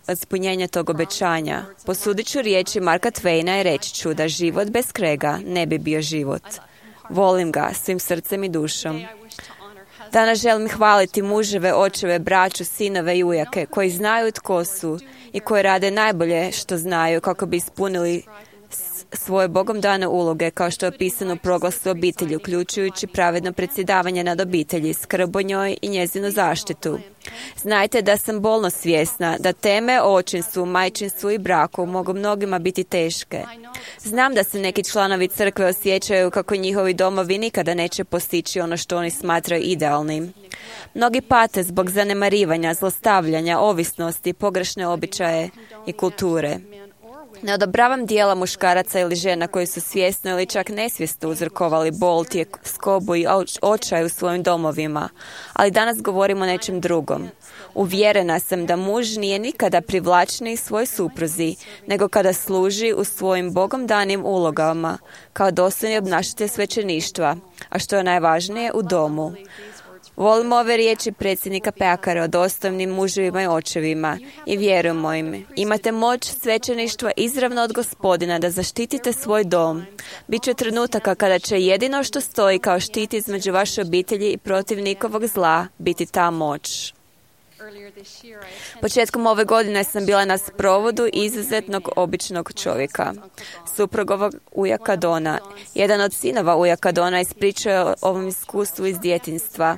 ispunjenje tog obećanja. Posudit ću riječi Marka Twaina i reći ću da život bez Craiga ne bi bio život. Volim ga svim srcem i dušom. Danas želim hvaliti muževe, očeve, braću, sinove i ujake koji znaju tko su i koji rade najbolje što znaju kako bi ispunili svoje Bogom dane uloge kao što je opisano u proglasu obitelji, uključujući pravedno predsjedavanje nad obitelji, skrb o njoj i njezinu zaštitu. Znajte da sam bolno svjesna da teme o očinstvu, majčinstvu i braku mogu mnogima biti teške. Znam da se neki članovi crkve osjećaju kako njihovi domovi nikada neće postići ono što oni smatraju idealnim. Mnogi pate zbog zanemarivanja, zlostavljanja, ovisnosti, pogrešne običaje i kulture. Ne odobravam dijela muškaraca ili žena koji su svjesno ili čak nesvjesno uzrokovali bol, skobu i očaj u svojim domovima, ali danas govorimo o nečem drugom. Uvjerena sam da muž nije nikada privlačniji svoj supruzi, nego kada služi u svojim Bogom danim ulogama, kao dostojni obnašatelj svećeništva, a što je najvažnije, u domu. Volimo ove riječi predsjednika Packara o dostojnim muževima i očevima i vjerujemo im. Imate moć svećeništva izravno od Gospodina da zaštitite svoj dom. Biće trenutaka kada će jedino što stoji kao štit između vaše obitelji i protiv nikovog zla biti ta moć. Početkom ove godine sam bila na sprovodu izuzetnog običnog čovjeka, suprugovog ujaka Dona. Jedan od sinova ujaka Dona ispričao je o ovom iskustvu iz djetinjstva,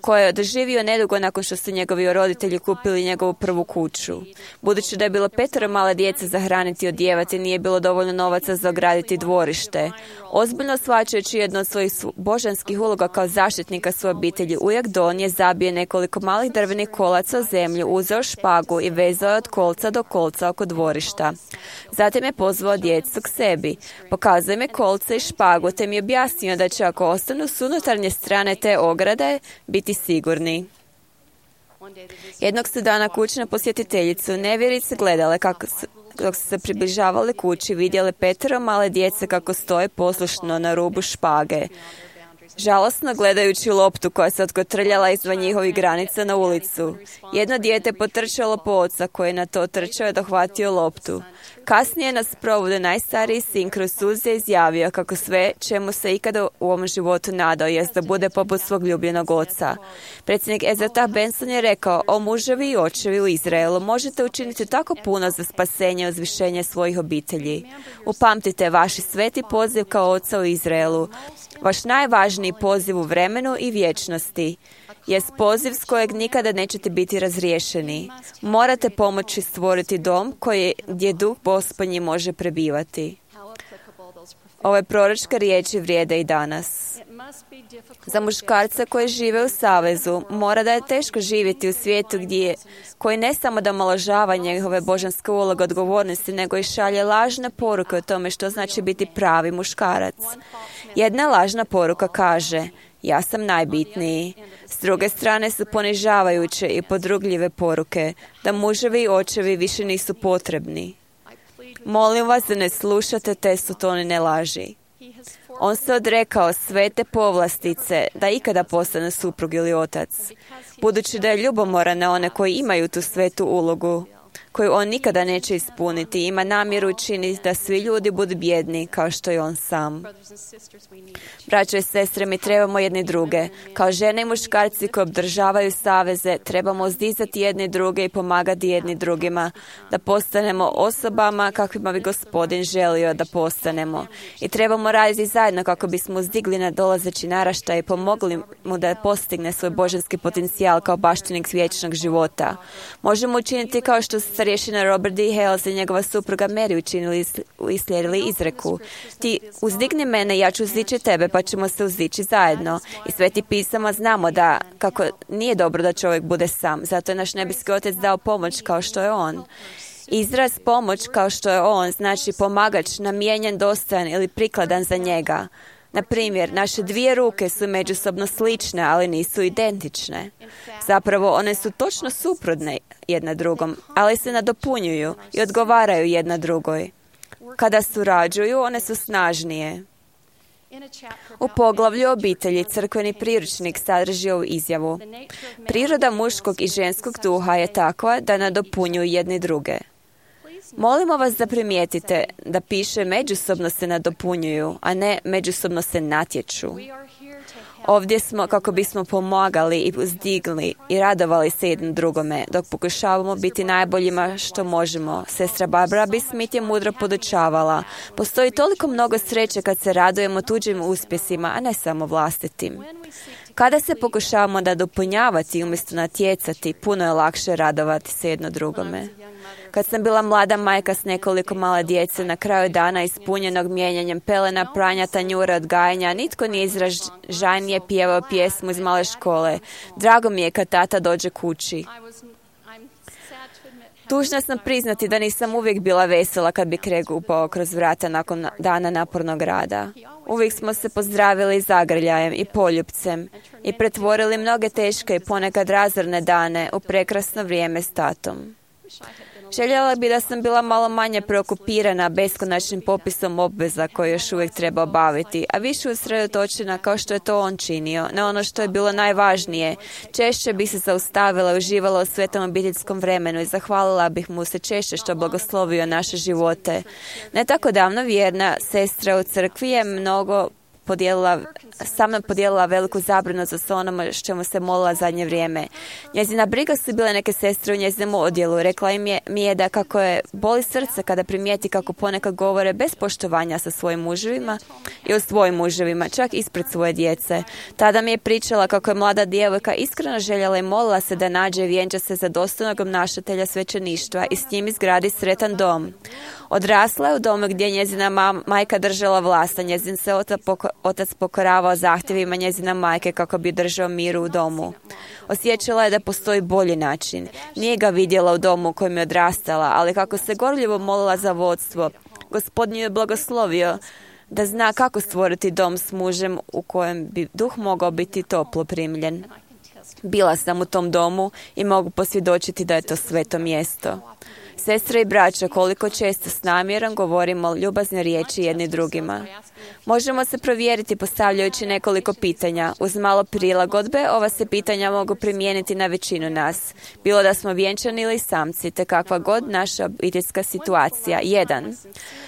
koje je doživio nedugo nakon što su njegovi roditelji kupili njegovu prvu kuću. Budući da je bilo 5 male djece za hraniti i odjevati, nije bilo dovoljno novaca za ograditi dvorište. Ozbiljno shvaćajući jednu od svojih božanskih uloga kao zaštitnika svoje obitelji, ujak Don je zabio nekoliko malih drvenih kolaca u zemlju, uzeo špagu i vezao je od kolca do kolca oko dvorišta. Zatim je pozvao djecu k sebi. Pokazao im je kolce i špagu, te mi je objasnio da će ako ostanu s unutarnje strane te ograde biti sigurni. Jednog su dana kućna posjetiteljicu nevjerice gledale kako dok su se približavali kući, vidjele 5 male djece kako stoje poslušno na rubu špage, žalosno gledajući loptu koja se otkotrljala izvan njihovih granica na ulicu. Jedno dijete potrčalo po oca koji je na to trčao i dohvatio loptu. Kasnije na sprovodu najstariji sin kroz suze izjavio kako sve čemu se ikada u ovom životu nadao jest da bude poput svog ljubljenog oca. Predsjednik Ezra Benson je rekao: o muževi i očevi u Izraelu, možete učiniti tako puno za spasenje i uzvišenje svojih obitelji. Upamtite vaši sveti poziv kao oca u Izraelu, vaš najvažniji poziv u vremenu i vječnosti, jest poziv s kojeg nikada nećete biti razriješeni. Morate pomoći stvoriti dom gdje duh Gospodnji može prebivati. Ove proročke riječi vrijede i danas. Za muškarca koji žive u savezu, mora da je teško živjeti u svijetu koji ne samo da omalovažava njegove božanske uloge odgovornosti, nego i šalje lažne poruke o tome što znači biti pravi muškarac. Jedna lažna poruka kaže: ja sam najbitniji. S druge strane su ponižavajuće i podrugljive poruke da muževi i očevi više nisu potrebni. Molim vas da ne slušate te sotonine laži. On se odrekao sve te povlastice da ikada postane suprug ili otac, budući da je ljubomoran na one koji imaju tu svetu ulogu, koju on nikada neće ispuniti. Ima namjeru učiniti da svi ljudi budu bjedni kao što je on sam. Braćo i sestre, mi trebamo jedni druge. Kao žene i muškarci koji obdržavaju saveze, trebamo uzdizati jedni druge i pomagati jedni drugima, da postanemo osobama kakvima bi Gospodin želio da postanemo. I trebamo raditi zajedno kako bismo uzdigli nadolazeći naraštaj i pomogli mu da postigne svoj božanski potencijal kao baštinik vječnog života. Možemo učiniti kao što starješina Robert D. Hales i njegova supruga Mary učinili i slijedili izreku. Ti uzdigni mene, ja ću uzdići tebe, pa ćemo se uzdići zajedno. I Sveti pisama znamo da kako nije dobro da čovjek bude sam. Zato je naš nebeski Otac dao pomoć kao što je On. Izraz pomoć kao što je On znači pomagač, namijenjen, dostojan ili prikladan za njega. Na primjer, naše dvije ruke su međusobno slične, ali nisu identične. Zapravo, one su točno suprotne jedna drugom, ali se nadopunjuju i odgovaraju jedna drugoj. Kada surađuju, one su snažnije. U poglavlju obitelji crkveni priručnik sadrži ovu izjavu. Priroda muškog i ženskog duha je takva da nadopunjuju jedni druge. Molimo vas da primijetite da piše međusobno se nadopunjuju, a ne međusobno se natječu. Ovdje smo kako bismo pomagali i uzdigli i radovali se jednom drugome, dok pokušavamo biti najboljima što možemo. Sestra Barbara B. Smith je mudro podučavala. Postoji toliko mnogo sreće kad se radujemo tuđim uspjesima, a ne samo vlastitim. Kada se pokušavamo da dopunjavati umjesto natjecati, puno je lakše radovati se jedno drugome. Kad sam bila mlada majka s nekoliko male djece, na kraju dana ispunjenog mijenjanjem pelena, pranja, tanjura, odgajanja, nitko nije izražajnije pjevao pjesmu iz male škole. Drago mi je kad tata dođe kući. Tužna sam priznati da nisam uvijek bila vesela kad bi Craig upao kroz vrata nakon dana napornog rada. Uvijek smo se pozdravili zagrljajem i poljupcem i pretvorili mnoge teške i ponekad razorne dane u prekrasno vrijeme s tatom. Željela bi da sam bila malo manje preokupirana beskonačnim popisom obveza koje još uvijek treba obaviti, a više usredotočena kao što je to on činio, na ono što je bilo najvažnije. Češće bi se zaustavila i uživala u svetom obiteljskom vremenu i zahvalila bih mu se češće što blagoslovio naše živote. Ne tako davno vjerna sestra u crkvi je sa mnom podijelila veliku zabrinutost o onome što mu se molila zadnje vrijeme. Njezina briga su bile neke sestre u njezinom odjelu. Rekla mi je da kako je boli srce kada primijeti kako ponekad govore bez poštovanja sa svojim muževima i o svojim muževima, čak ispred svoje djece. Tada mi je pričala kako je mlada djevojka iskreno željela i molila se da nađe i vjenča se za dostojnog obnašatelja svećeništva i s njim izgradi sretan dom. Odrasla je u domu gdje je njezina majka držala vlast, a njezin se otac pokoravao zahtjevima njezina majke kako bi držao miru u domu. Osjećala je da postoji bolji način. Nije ga vidjela u domu u kojem je odrastala, ali kako se gorljivo molila za vodstvo, Gospodin je blagoslovio da zna kako stvoriti dom s mužem u kojem bi duh mogao biti toplo primljen. Bila sam u tom domu i mogu posvjedočiti da je to sveto mjesto. Sestre i braća, koliko često s namjerom govorimo ljubazne riječi jedni drugima. Možemo se provjeriti postavljajući nekoliko pitanja. Uz malo prilagodbe, ova se pitanja mogu primijeniti na većinu nas. Bilo da smo vjenčani ili samci, te kakva god naša obiteljska situacija. 1.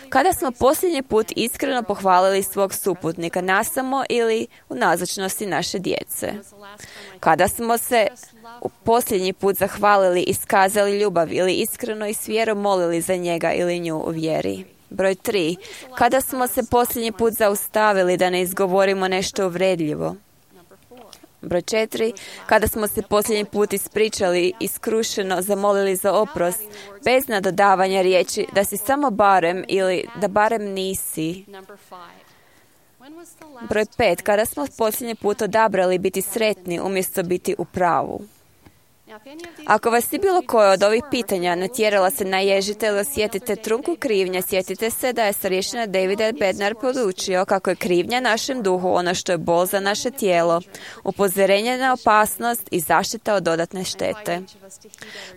Kada smo posljednji put iskreno pohvalili svog suputnika nasamo ili u nazočnosti naše djece? Kada smo se posljednji put zahvalili, iskazali ljubav ili iskreno i s vjerom molili za njega ili nju u vjeri? Broj 3. Kada smo se posljednji put zaustavili da ne izgovorimo nešto uvredljivo? Broj 4. Kada smo se posljednji put ispričali i skrušeno zamolili za oprost, bez nadodavanja riječi da si samo barem ili da barem nisi. Broj 5. Kada smo posljednji put odabrali biti sretni umjesto biti u pravu? Ako vas je bilo koje od ovih pitanja natjerala se naježite ili osjetite trunku krivnje, sjetite se da je starješina David Bednar podučio kako je krivnja našem duhu ono što je bol za naše tijelo, upozorenje na opasnost i zaštita od dodatne štete.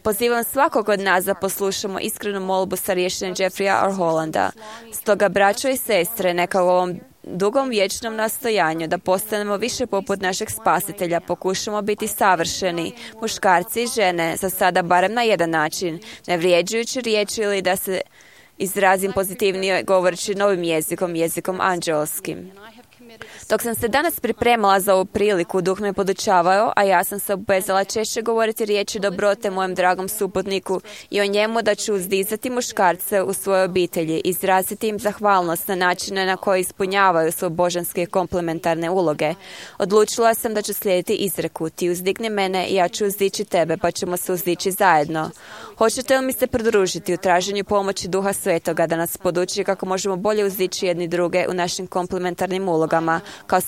Pozivam svakog od nas da poslušamo iskrenu molbu starješine Jeffreya R. Hollanda. Stoga, braćo i sestre, neka u ovom dugom vječnom nastojanju da postanemo više poput našeg spasitelja, pokušamo biti savršeni, muškarci i žene, za sada barem na jedan način, ne vrijeđajući riječi ili da se izrazim pozitivnije govoreći novim jezikom anđelskim. Dok sam se danas pripremala za ovu priliku, Duh me podučavao, a ja sam se obvezala češće govoriti riječi dobrote mojem dragom suputniku i o njemu da ću uzdizati muškarce u svojoj obitelji, izraziti im zahvalnost na načine na koje ispunjavaju svoje božanske komplementarne uloge. Odlučila sam da ću slijediti izreku: ti uzdigni mene i ja ću uzdići tebe, pa ćemo se uzdići zajedno. Hoćete li mi se pridružiti u traženju pomoći Duha Svetoga da nas poduči kako možemo bolje uzdići jedni druge u našim komplementarnim ulogama, kao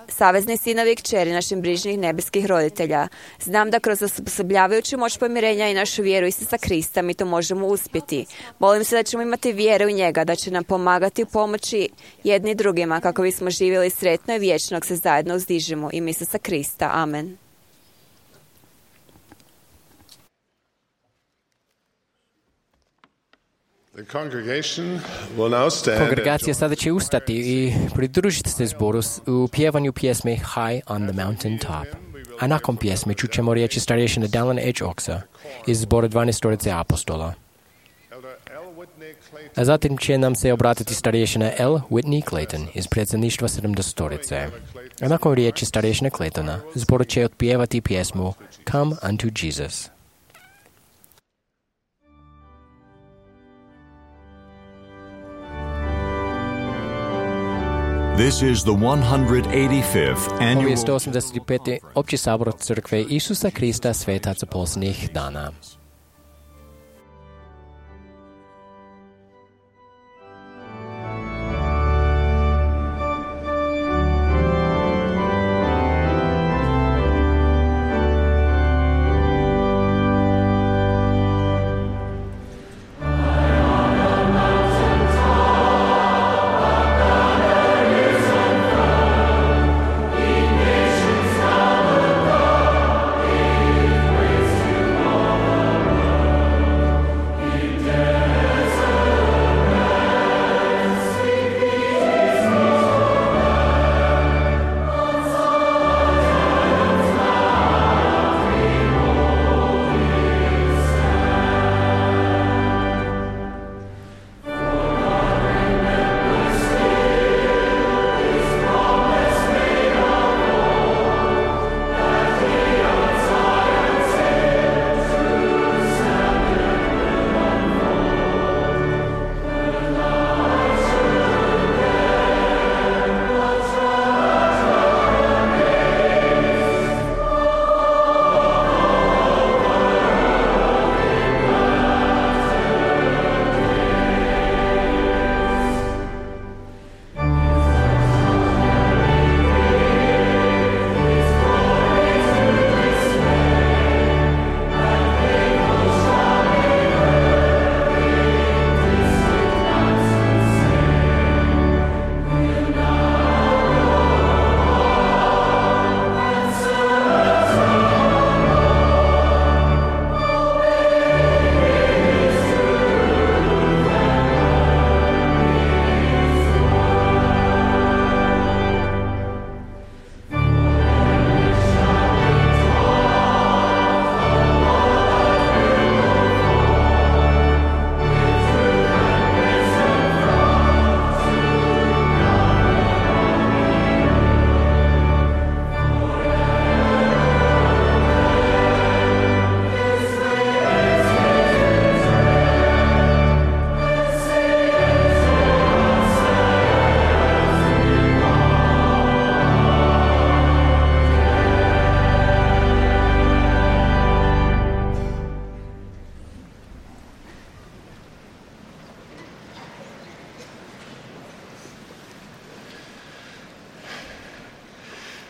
savezni sinovi i kćeri naših brižnih nebeskih roditelja. Znam da kroz osposobljavajuću moć pomirenja i našu vjeru Isusa Krista mi to možemo uspjeti. Molim se da ćemo imati vjeru u njega, da će nam pomagati u pomoći jedni drugima kako bismo živjeli sretno i vječno se zajedno uzdižemo. Ime Isusa Krista. Amen. Kongregacija sada će ustati i pridružiti se zboru u pjevanju pjesme High on the Mountain Top. A nakon pjesme čućemo riječi starješine Dallin H. Oxa iz zbora 12 apostola. A zatim će nam se obratiti starješina L. Whitney Clayton iz predsjedništva 70. A nakon riječi starješine Claytona, zbor će otpjevati pjesmu Come unto Jesus. This is the 185th annual... Ovo je 185. opći sabor crkve Isusa Krista svetaca posljednjih dana.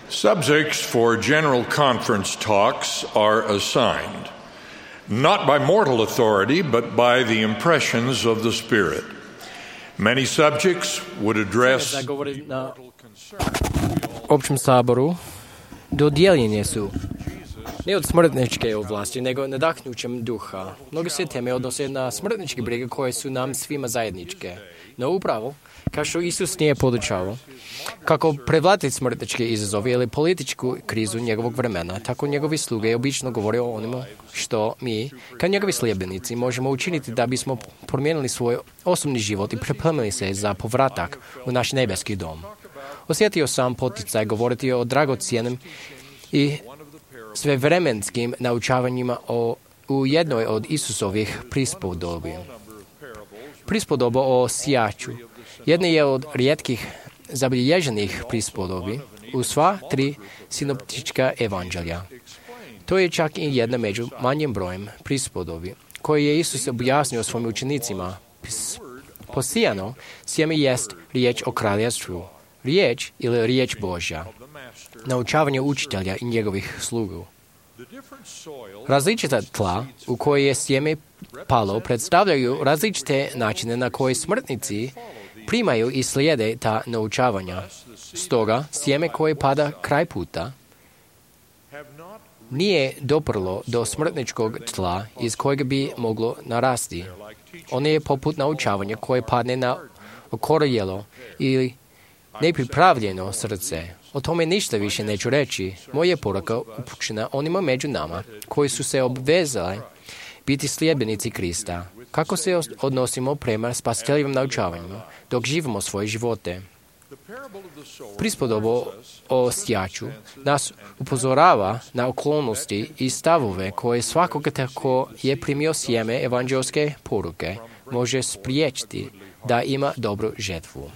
Subjects for general conference talks are assigned, not by mortal authority, but by the impressions of the Spirit. Many subjects would address općem saboru dodijeljene su Ne od smrtničke ovlasti, nego nadahnućem duha. Mnoge se teme odnose na smrtničke brige koje su nam svima zajedničke. No upravo, kao što Isus nije podučavao, kako prevladati smrtničke izazove ili političku krizu njegovog vremena, tako njegovi sluge obično govore o onome što mi, kao njegovi sljedbenici, možemo učiniti da bismo promijenili svoj osobni život i pripremili se za povratak u naš nebeski dom. Osjetio sam poticaj govoriti o dragocjenim i svevremenskim naučavanjima u jednoj od Isusovih prispodobi. Prispodoba o sijaču jedna je od rijetkih zabilježenih prispodobi u sva 3 sinoptička evanđelja. To je čak i jedna među manjim brojem prispodobi koje je Isus objasnio svojim učenicima. Posijano sjeme jest riječ o kraljevstvu, riječ ili riječ Božja, naučavanje učitelja i njegovih slugu. Različita tla u koje je sjeme palo predstavljaju različite načine na koje smrtnici primaju i slijede ta naučavanja. Stoga, sjeme koje pada kraj puta nije doprlo do smrtničkog tla iz kojeg bi moglo narasti. Ono je poput naučavanja koje padne na okorjelo ili nepripravljeno srce. O tome ništa više neću reći. Moja poruka upućena onima među nama koji su se obvezali biti sljedbenici Krista. Kako se odnosimo prema spasiteljivim naučavanjima dok živimo svoje živote. Prispodoba o sijaču nas upozorava na okolnosti i stavove koje svakoga tako je primio sjeme evanđelske poruke može spriječiti da ima dobru žetvu.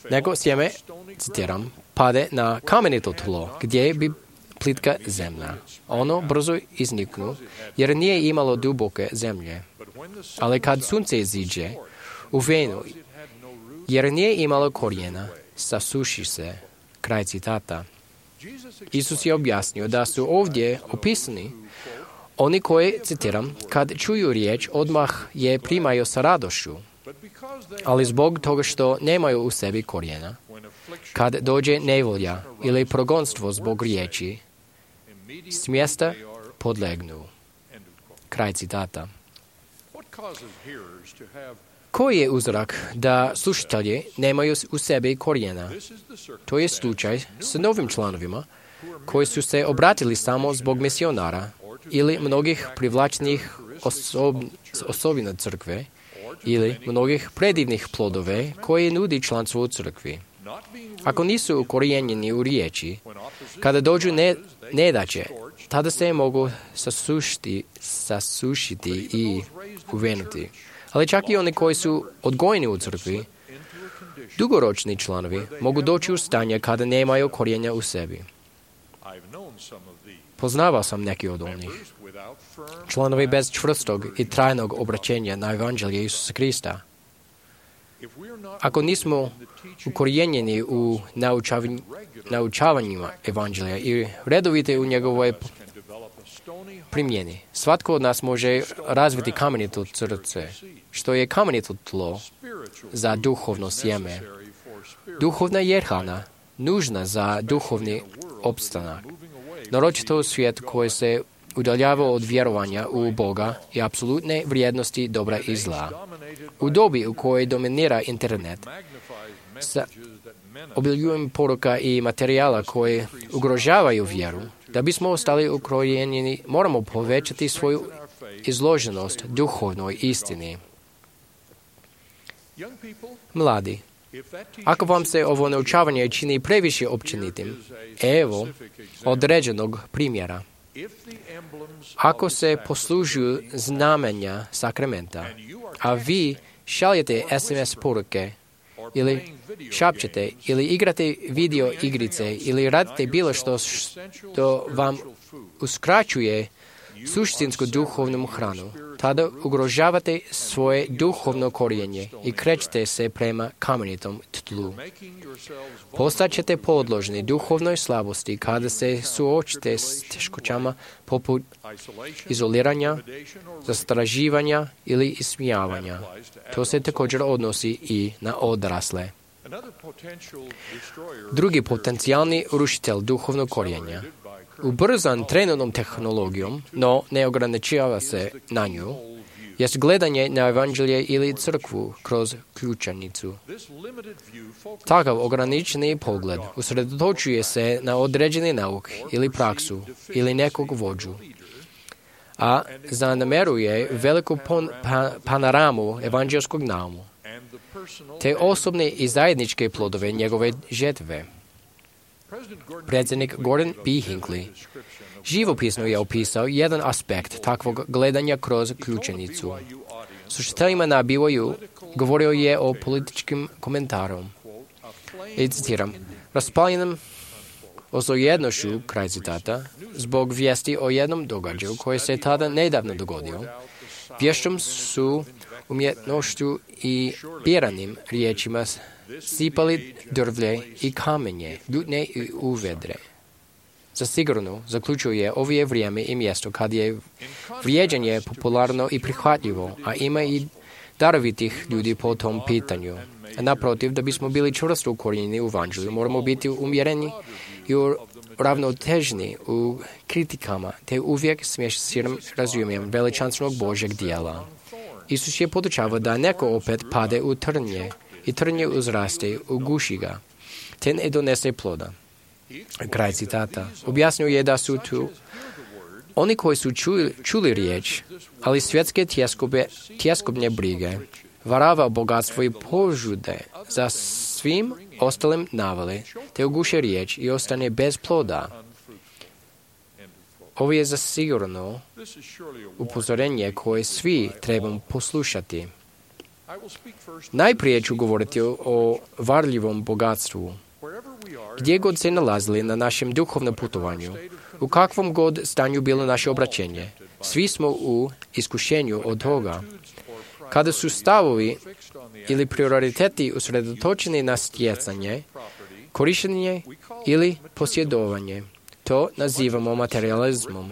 Nego sjeme, citiram, pade na kamenito tlo gdje bi plitka zemlja. Ono brzo izniknu jer nije imalo duboke zemlje. Ali kad sunce iziđe u venu jer nije imalo korijena, sasuši se. Kraj citata. Isus je objasnio da su ovdje opisani oni koji, citiram, kad čuju riječ odmah je primaju sa radošću, ali zbog toga što nemaju u sebi korijena, kad dođe nevolja ili progonstvo zbog riječi, s mjesta podlegnu. Kraj citata. Koji je uzrok da slušatelji nemaju u sebi korijena? To je slučaj s novim članovima koji su se obratili samo zbog misionara ili mnogih privlačnih osobina crkve ili mnogih predivnih plodove koje nudi članstvo u crkvi. Ako nisu ukorijenjeni u riječi, kada dođu nedaće, tada se mogu sasušiti i uvenuti. Ali čak i oni koji su odgojeni u crkvi, dugoročni članovi, mogu doći u stanje kada nemaju korijenja u sebi. Poznavao sam neki od onih. Članovi bez čvrstog i trajnog obraćenja na evanđelje Isusa Krista. Ako nismo ukorijenjeni u naučavanjima evanđelja i redovite u njegovoj primjeni, svatko od nas može razviti kamenito srce, što je kamenito tlo za duhovno sjeme. Duhovna je hrana, nužna za duhovni opstanak. Naročito u svijetu koji se udaljava od vjerovanja u Boga i apsolutne vrijednosti dobra i zla. U dobi u kojoj dominira internet, sa obiljujem poruka i materijala koje ugrožavaju vjeru, da bismo ostali ukorijenjeni, moramo povećati svoju izloženost duhovnoj istini. Mladi, ako vam se ovo naučavanje čini previše općenitim, evo određenog primjera. Ako se poslužuju znamenja sakramenta, a vi šaljete SMS poruke ili šapćete ili igrate video igrice ili radite bilo što vam uskraćuje suštinsku duhovnu hranu, tada ugrožavate svoje duhovno korijenje i krećete se prema kamenitom tlu. Postaćete podložni duhovnoj slabosti kada se suočite s teškoćama poput izoliranja, zastraživanja ili ismijavanja. To se također odnosi i na odrasle. Drugi potencijalni rušitelj duhovnog korijenja, ubrzan trenutnom tehnologijom, no ne ograničava se na nju, jest gledanje na evanđelje ili crkvu kroz ključanicu. Takav ograničeni pogled usredotočuje se na određeni nauk ili praksu ili nekog vođu, a zanemaruje veliku panoramu evanđelskog naumu, te osobne i zajedničke plodove njegove žetve. Predsjednik Gordon B. Hinckley živopisno je opisao jedan aspekt takvog gledanja kroz ključanicu. S učiteljima na BYU govorio je o političkim komentarom. I citiram, raspaljenom ozlojednošću, kraj citata, zbog vijesti o jednom događaju koji se tada nedavno dogodio, vješćom su umjetnošću i biranim riječima sipali drvlje i kamenje, ljutnje i uvedre. Zasigurno, zaključuje, ovo je vrijeme i mjesto kad je vrijeđanje popularno i prihvatljivo, a ima i darovitih ljudi po tom pitanju. A naprotiv, da bismo bili čvrsto ukorijenjeni u evanđelju, moramo biti umjereni i uravnoteženi u kritikama, te uvijek smješćirom razumijem veličanstvenog Božjeg dijela. Isus je podučavao da neko opet pade u trnje i trnje uzraste, uguši ga, te ne donese ploda. Kraj citata. Objasnio je da su tu oni koji su čuli riječ, ali svjetske tjeskobne brige, varava bogatstvo i požude za svim ostalim navale, te uguše riječ i ostane bez ploda. Ovo je zasigurno upozorenje koje svi trebamo poslušati. Najprije ću govoriti o varljivom bogatstvu. Gdje god se nalazili na našem duhovnom putovanju, u kakvom god stanju bilo naše obraćenje, svi smo u iskušenju od toga. Kada su stavovi ili prioriteti usredotočeni na stjecanje, korištenje ili posjedovanje, to nazivamo materializmom.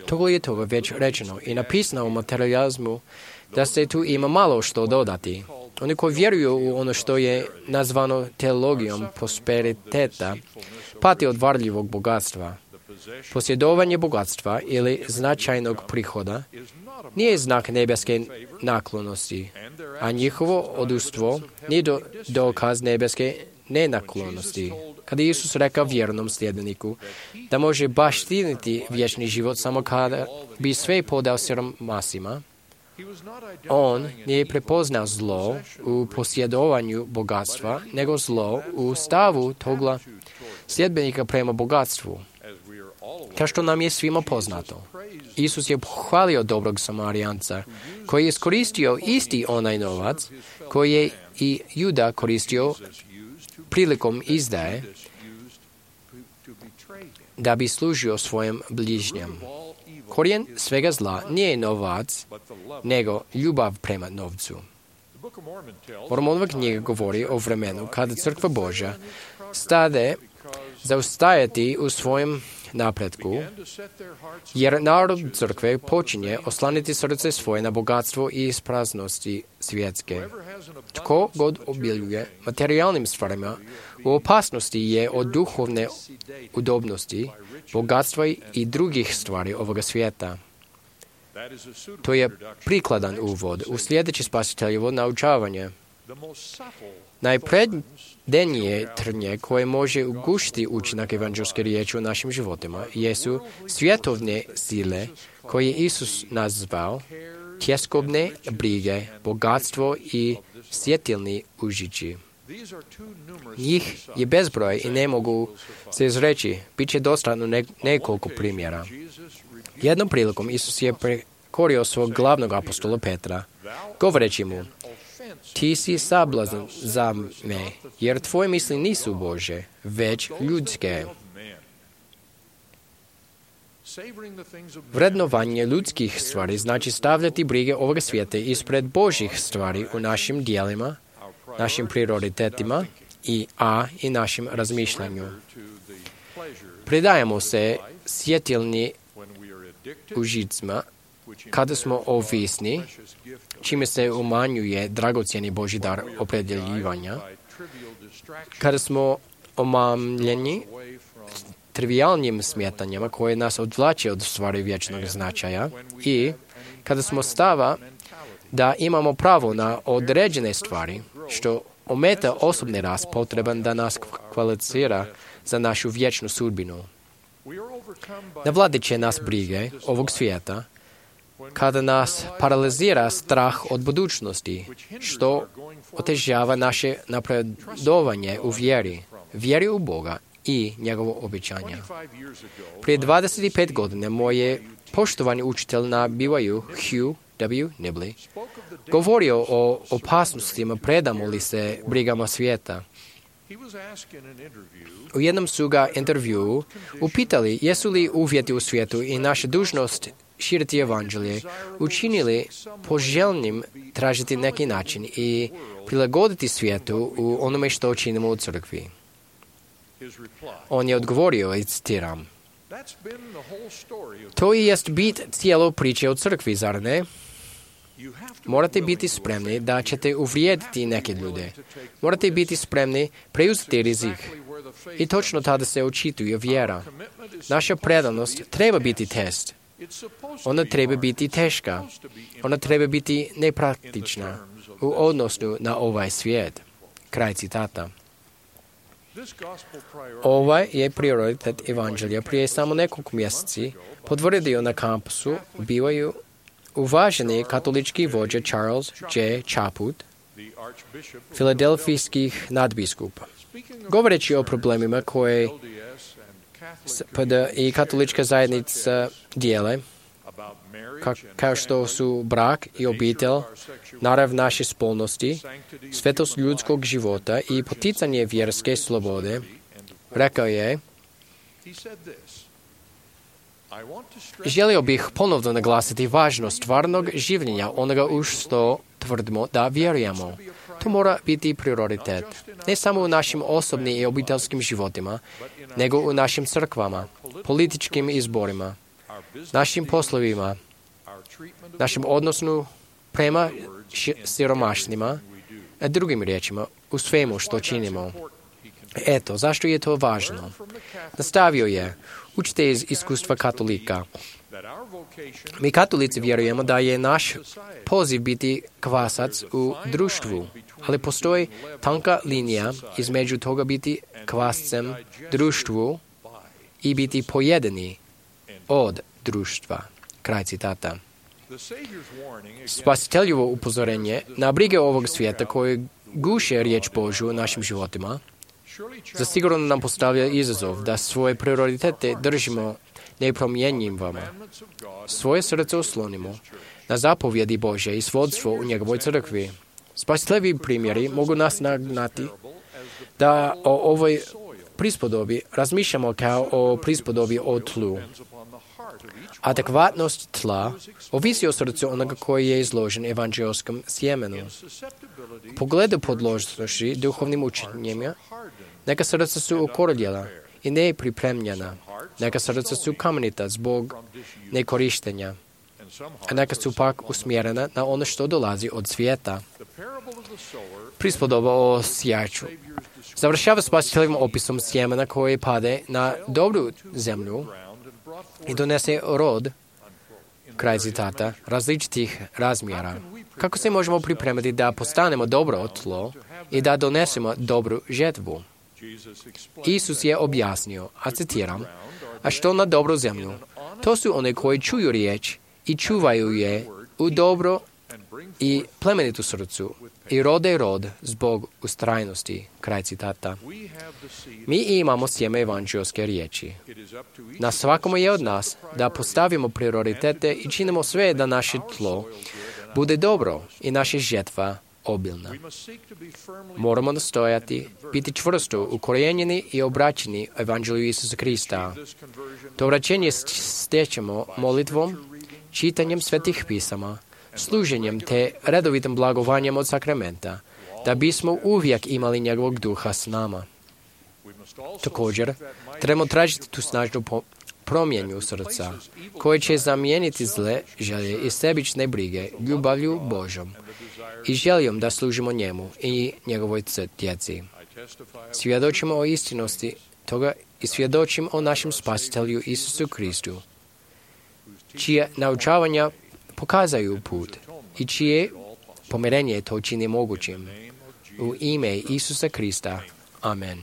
Togo je toga već rečeno i napisano o materializmu da se tu ima malo što dodati. Oni koji vjeruju u ono što je nazvano teologijom prosperiteta, pati od varljivog bogatstva. Posjedovanje bogatstva ili značajnog prihoda nije znak nebeske naklonosti, a njihovo odustvo nije dokaz nebeske nenaklonosti. Kada Isus rekao vjernom sljedbeniku da može baštiniti vječni život samo kada bi sve podao siromasima, on nije prepoznao zlo u posjedovanju bogatstva, nego zlo u stavu toga sljedbenika prema bogatstvu. Kao što nam je svima poznato, Isus je pohvalio dobrog Samarijanca, koji je iskoristio isti onaj novac koji je i Juda koristio prilikom izdaje da bi služio svojem bližnjem. Korijen svega zla nije novac, nego ljubav prema novcu. Mormonova knjiga govori o vremenu kada crkva Božja stade zaustajati u svojem napretku, jer narod crkve počinje oslaniti srce svoje na bogatstvo i ispraznosti svjetske. Tko god obiljuje materijalnim stvarima, u opasnosti je od duhovne udobnosti, bogatstva i drugih stvari ovoga svijeta. To je prikladan uvod u sljedeće spasiteljevo naučavanje. Najpredenije trnje koje može ugušiti učinak evanđelske riječi u našim životima jesu svjetovne sile koje Isus nazvao tjeskobne brige, bogatstvo i sjetilni užići. Njih je bezbroj i ne mogu se izreći. Biće dostatno nekoliko primjera. Jednom prilikom Isus je prekorio svog glavnog apostola Petra, govoreći mu: ti si sablazan za me, jer tvoje misli nisu Božje, već ljudske. Vrednovanje ljudskih stvari znači stavljati brige ovoga svijeta ispred Božjih stvari u našim dijelima, našim prioritetima i našim razmišljanju. Predajemo se sjetilni užicima kada smo ovisni, čime se umanjuje dragocjeni Božji dar opredjeljivanja, kada smo omamljeni trivijalnim smetanjima koje nas odvlače od stvari vječnog značaja i kada smo stava da imamo pravo na određene stvari, što ometa osobni rast potreban da nas kvalificira za našu vječnu sudbinu. Navladit će nas brige ovog svijeta kada nas paralizira strah od budućnosti, što otežava naše napredovanje u vjeri u Boga i njegovo obećanje. Prije 25 godina moj je poštovani učitelj na BYU, Hugh W. Nibley, govorio o opasnostima predamo li se brigama svijeta. U jednom su ga intervjuu upitali jesu li uvjeti u svijetu i naša dužnost širiti evanđelje učinili poželjnim tražiti neki način i prilagoditi svijetu u onome što činimo u crkvi. On je odgovorio i citiram: to i jest bit cijelo priče o crkvi, zar ne? Morate biti spremni da ćete uvrijediti neke ljude. Morate biti spremni preuzeti rizik. I točno tada se očituje vjera. Naša predanost treba biti test. Ona treba biti teška. Ona treba biti nepraktična u odnosu na ovaj svijet. Kraj citata. Ovaj je prioritet evanđelja prije samo nekoliko mjeseci potvrdio na kampusu BYU uvaženi katolički vođa Charles J. Chaput, filadelfijskih nadbiskupa. Govoreći o problemima koje SPD i katolička zajednica dijele, kao što su brak i obitelj, narav naše spolnosti, svetost ljudskog života i poticanje vjerske slobode, rekao je: želio bih ponovno naglasiti važnost stvarnog življenja onoga u što tvrdimo da vjerujemo. To mora biti prioritet, ne samo u našim osobnim i obiteljskim životima, nego u našim crkvama, političkim izborima, našim poslovima, našem odnosu prema siromašnima, a drugim riječima, u svemu što činimo. Eto, zašto je to važno? Nastavio je: učite iz iskustva katolika. Mi katolici vjerujemo da je naš poziv biti kvasac u društvu, ali postoji tanka linija između toga biti kvascem društvu i biti pojedeni od društva. Kraj citata. Spasiteljevo upozorenje na brige ovog svijeta koje guše riječ Božju u našim životima zasigurno nam postavlja izazov da svoje prioritete držimo nepromjenjivama. Svoje srce oslonimo na zapovjedi Božje i svodstvo u njegovoj crkvi. Spasiteljevi primjeri mogu nas nagnati da o ovoj prispodobi razmišljamo kao o prispodobi o tlu. Adekvatnost tla ovisi o srcu onoga koji je izložen evanđelskom sjemenu. U pogledu podložnosti duhovnim učenjima, neka srca su ukorljela i nepripremljena. Neka srca su kamenita zbog nekorištenja, a neka su pak usmjerena na ono što dolazi od svijeta. Prispodoba o sjaču završava spasiteljevim opisom sjemena koje pade na dobru zemlju i donese rod, kraj citata, različitih razmjera. Kako se možemo pripremiti da postanemo dobro tlo i da donesemo dobru žetvu? Isus je objasnio, a citiram: a što na dobru zemlju? To su one koji čuju riječ i čuvaju je u dobro i plemenitu srcu i rode rod zbog ustrajnosti. Kraj citata. Mi imamo sjeme evanđelske riječi. Na svakome je od nas da postavimo prioritete i činimo sve da naše tlo bude dobro i naša žetva obilna. Moramo nastojati biti čvrsto ukorijenjeni i obraćeni evanđelju Isusa Krista. To vraćenje stječemo molitvom, čitanjem svetih pisama, služenjem te redovitim blagovanjem od sakramenta, da bismo uvijek imali njegovog duha s nama. Također, trebamo tražiti tu snažnu promjenu srca, koje će zamijeniti zle želje i sebične brige ljubavlju Božom i željom da služimo njemu i njegovoj djeci. Svjedočimo o istinosti toga i svjedočimo o našem spasitelju Isusu Kristu, čije naučavanja pokazaju put i čije pomirenje to čini mogućim. U ime Isusa Krista. Amen.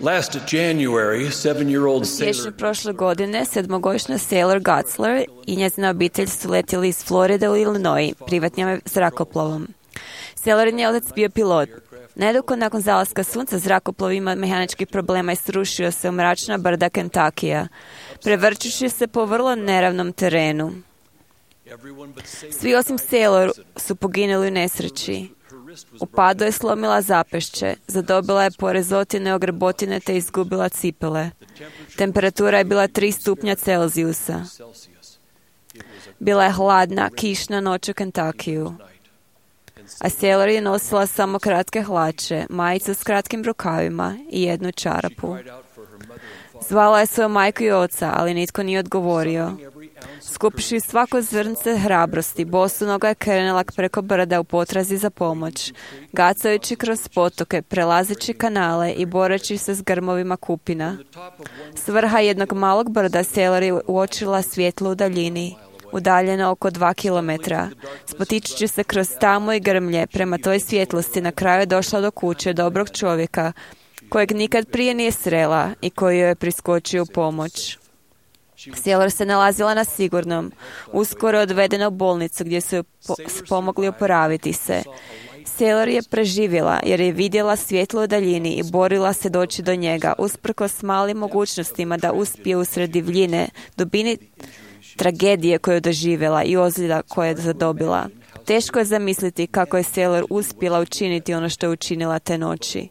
Last January, 7-year-old sailor prošle godine 7-godišnja Sailor Gutzler i njezina obitelj su letjeli iz Floride u Illinois privatnim zrakoplovom. Sailorin je otac bio pilot. Nedugo nakon zalaska sunca zrakoplov ima mehaničkih problema i srušio se u mračna brda Kentakija, prevrćući se po vrlo neravnom terenu. Svi osim Sailor su poginuli u nesreći. U padu je slomila zapešće, zadobila je porezotine, ogrebotine te izgubila cipele. Temperatura je bila 3 stupnja Celzijusa. Bila je hladna, kišna noć u Kentakiju. A Sailor je nosila samo kratke hlače, majicu s kratkim rukavima i jednu čarapu. Zvala je svoju majku i oca, ali nitko nije odgovorio. Skupiši svako zrnce hrabrosti, bosonoga je krenula preko brda u potrazi za pomoć, gacajući kroz potoke, prelazeći kanale i boreći se s grmovima kupina. S vrha jednog malog brda Sailor je uočila svjetlo u daljini, udaljeno oko 2 kilometra. Spotičući se kroz tamu i grmlje, prema toj svjetlosti na kraju je došla do kuće dobrog čovjeka, kojeg nikad prije nije srela i koji joj je priskočio u pomoć. Sailor se nalazila na sigurnom, uskoro odvedena u bolnicu gdje su joj pomogli oporaviti se. Sailor je preživjela jer je vidjela svjetlo u daljini i borila se doći do njega, usprkos malim mogućnostima da uspije usred divljine, dubini tragedije koju je doživjela i ozljeda koje je zadobila. Teško je zamisliti kako je Sailor uspjela učiniti ono što je učinila te noći.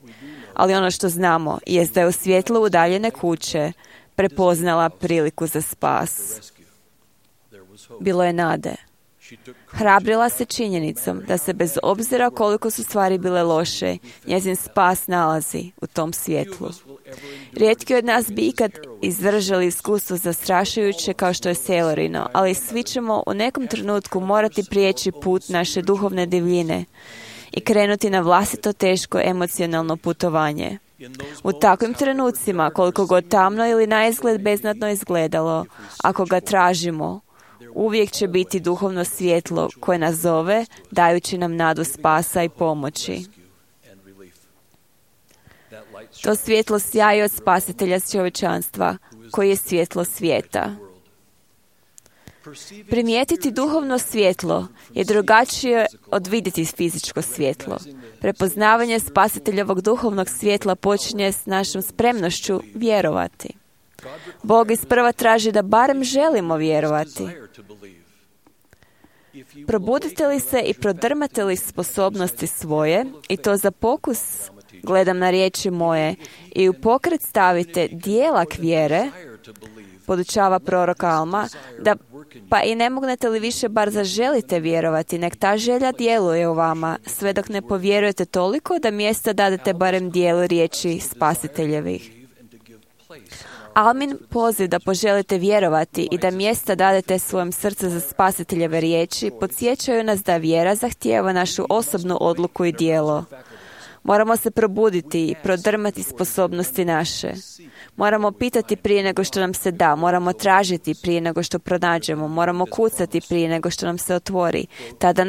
Ali ono što znamo jest da je u svjetlu udaljene kuće prepoznala priliku za spas. Bilo je nade. Hrabrila se činjenicom da se bez obzira koliko su stvari bile loše, njezin spas nalazi u tom svjetlu. Rijetki od nas bi ikad izdržali iskustvo zastrašujuće kao što je Sailorino, ali svi ćemo u nekom trenutku morati prijeći put naše duhovne divljine i krenuti na vlastito teško emocionalno putovanje. U takvim trenucima, koliko god tamno ili naizgled beznadno izgledalo, ako ga tražimo, uvijek će biti duhovno svjetlo koje nas zove, dajući nam nadu spasa i pomoći. To svjetlo sjaji od spasitelja čovječanstva, koji je svjetlo svijeta. Primijetiti duhovno svjetlo je drugačije od vidjeti fizičko svjetlo. Prepoznavanje spasiteljevog duhovnog svjetla počinje s našom spremnošću vjerovati. Bog isprva traži da barem želimo vjerovati. Probudite li se i prodrmate li sposobnosti svoje, i to za pokus, gledam na riječi moje, i u pokret stavite dijelak vjere, podučava prorok Alma, da pa i ne mognete li više bar zaželite vjerovati, nek ta želja djeluje u vama, sve dok ne povjerujete toliko da mjesta dadete barem dijelu riječi spasiteljevih. Almin poziv da poželite vjerovati i da mjesta dadete svojem srcu za spasiteljeve riječi podsjećaju nas da vjera zahtijeva našu osobnu odluku i djelo. Moramo se probuditi i prodrmati sposobnosti naše. Moramo pitati prije nego što nam se da, moramo tražiti prije nego što pronađemo, moramo kucati prije nego što nam se otvori. Tada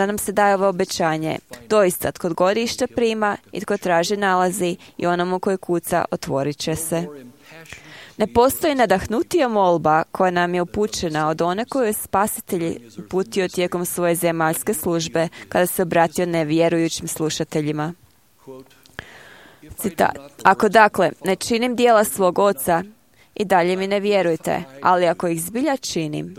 nam se daje ovo obećanje. Doista, tko god išta prima i tko traži nalazi i onomu koji kuca otvorit će se. Ne postoji nadahnutija molba koja nam je upućena od one koju je Spasitelj uputio tijekom svoje zemaljske službe kada se obratio nevjerujućim slušateljima. Citat. Ako dakle ne činim djela svog oca, i dalje mi ne vjerujte, ali ako ih zbilja činim,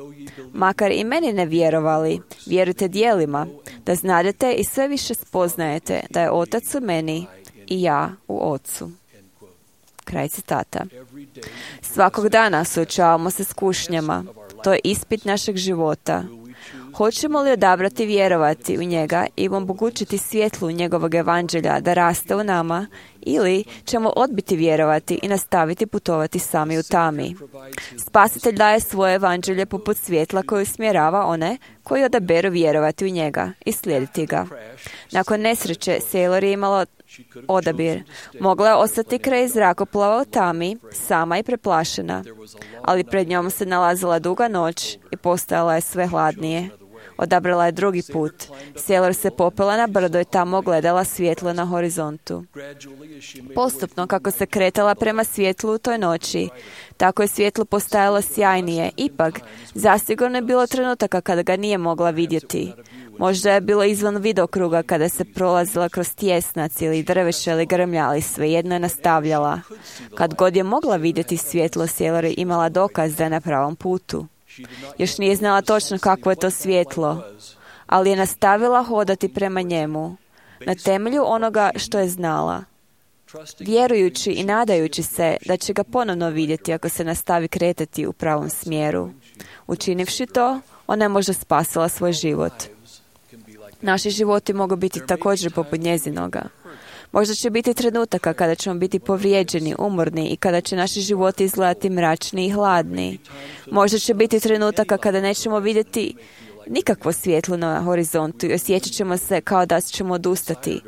makar i meni ne vjerovali, vjerujte djelima, da znadete i sve više spoznajete da je Otac u meni i ja u Ocu. Kraj citata. Svakog dana suočavamo se s kušnjama. To je ispit našeg života. Hoćemo li odabrati vjerovati u njega i omogućiti svjetlu njegovog evanđelja da raste u nama, ili ćemo odbiti vjerovati i nastaviti putovati sami u tami? Spasitelj daje svoje evanđelje poput svjetla koje usmjerava one koji odaberu vjerovati u njega i slijediti ga. Nakon nesreće, Sailor je imala odabir. Mogla je ostati kraj zrakoplova u tami, sama i preplašena, ali pred njom se nalazila duga noć i postajala je sve hladnije. Odabrala je drugi put. Sailor se popela na brdo i tamo gledala svjetlo na horizontu. Postupno, kako se kretala prema svjetlu u toj noći, tako je svjetlo postajalo sjajnije. Ipak, zasigurno je bilo trenutaka kada ga nije mogla vidjeti. Možda je bilo izvan vidokruga kada se prolazila kroz tjesnac ili drveće ili grmlja, ali svejedno je nastavljala. Kad god je mogla vidjeti svjetlo, Sailor je imala dokaz da je na pravom putu. Još nije znala točno kakvo je to svjetlo, ali je nastavila hodati prema njemu, na temelju onoga što je znala, vjerujući i nadajući se da će ga ponovno vidjeti ako se nastavi kretati u pravom smjeru. Učinivši to, ona je možda spasila svoj život. Naši životi mogu biti također poput njezinoga. Možda će biti trenutaka kada ćemo biti povrijeđeni, umorni i kada će naši životi izgledati mračni i hladni. Možda će biti trenutaka kada nećemo vidjeti nikakvo svjetlo na horizontu i osjećat ćemo se kao da ćemo odustati.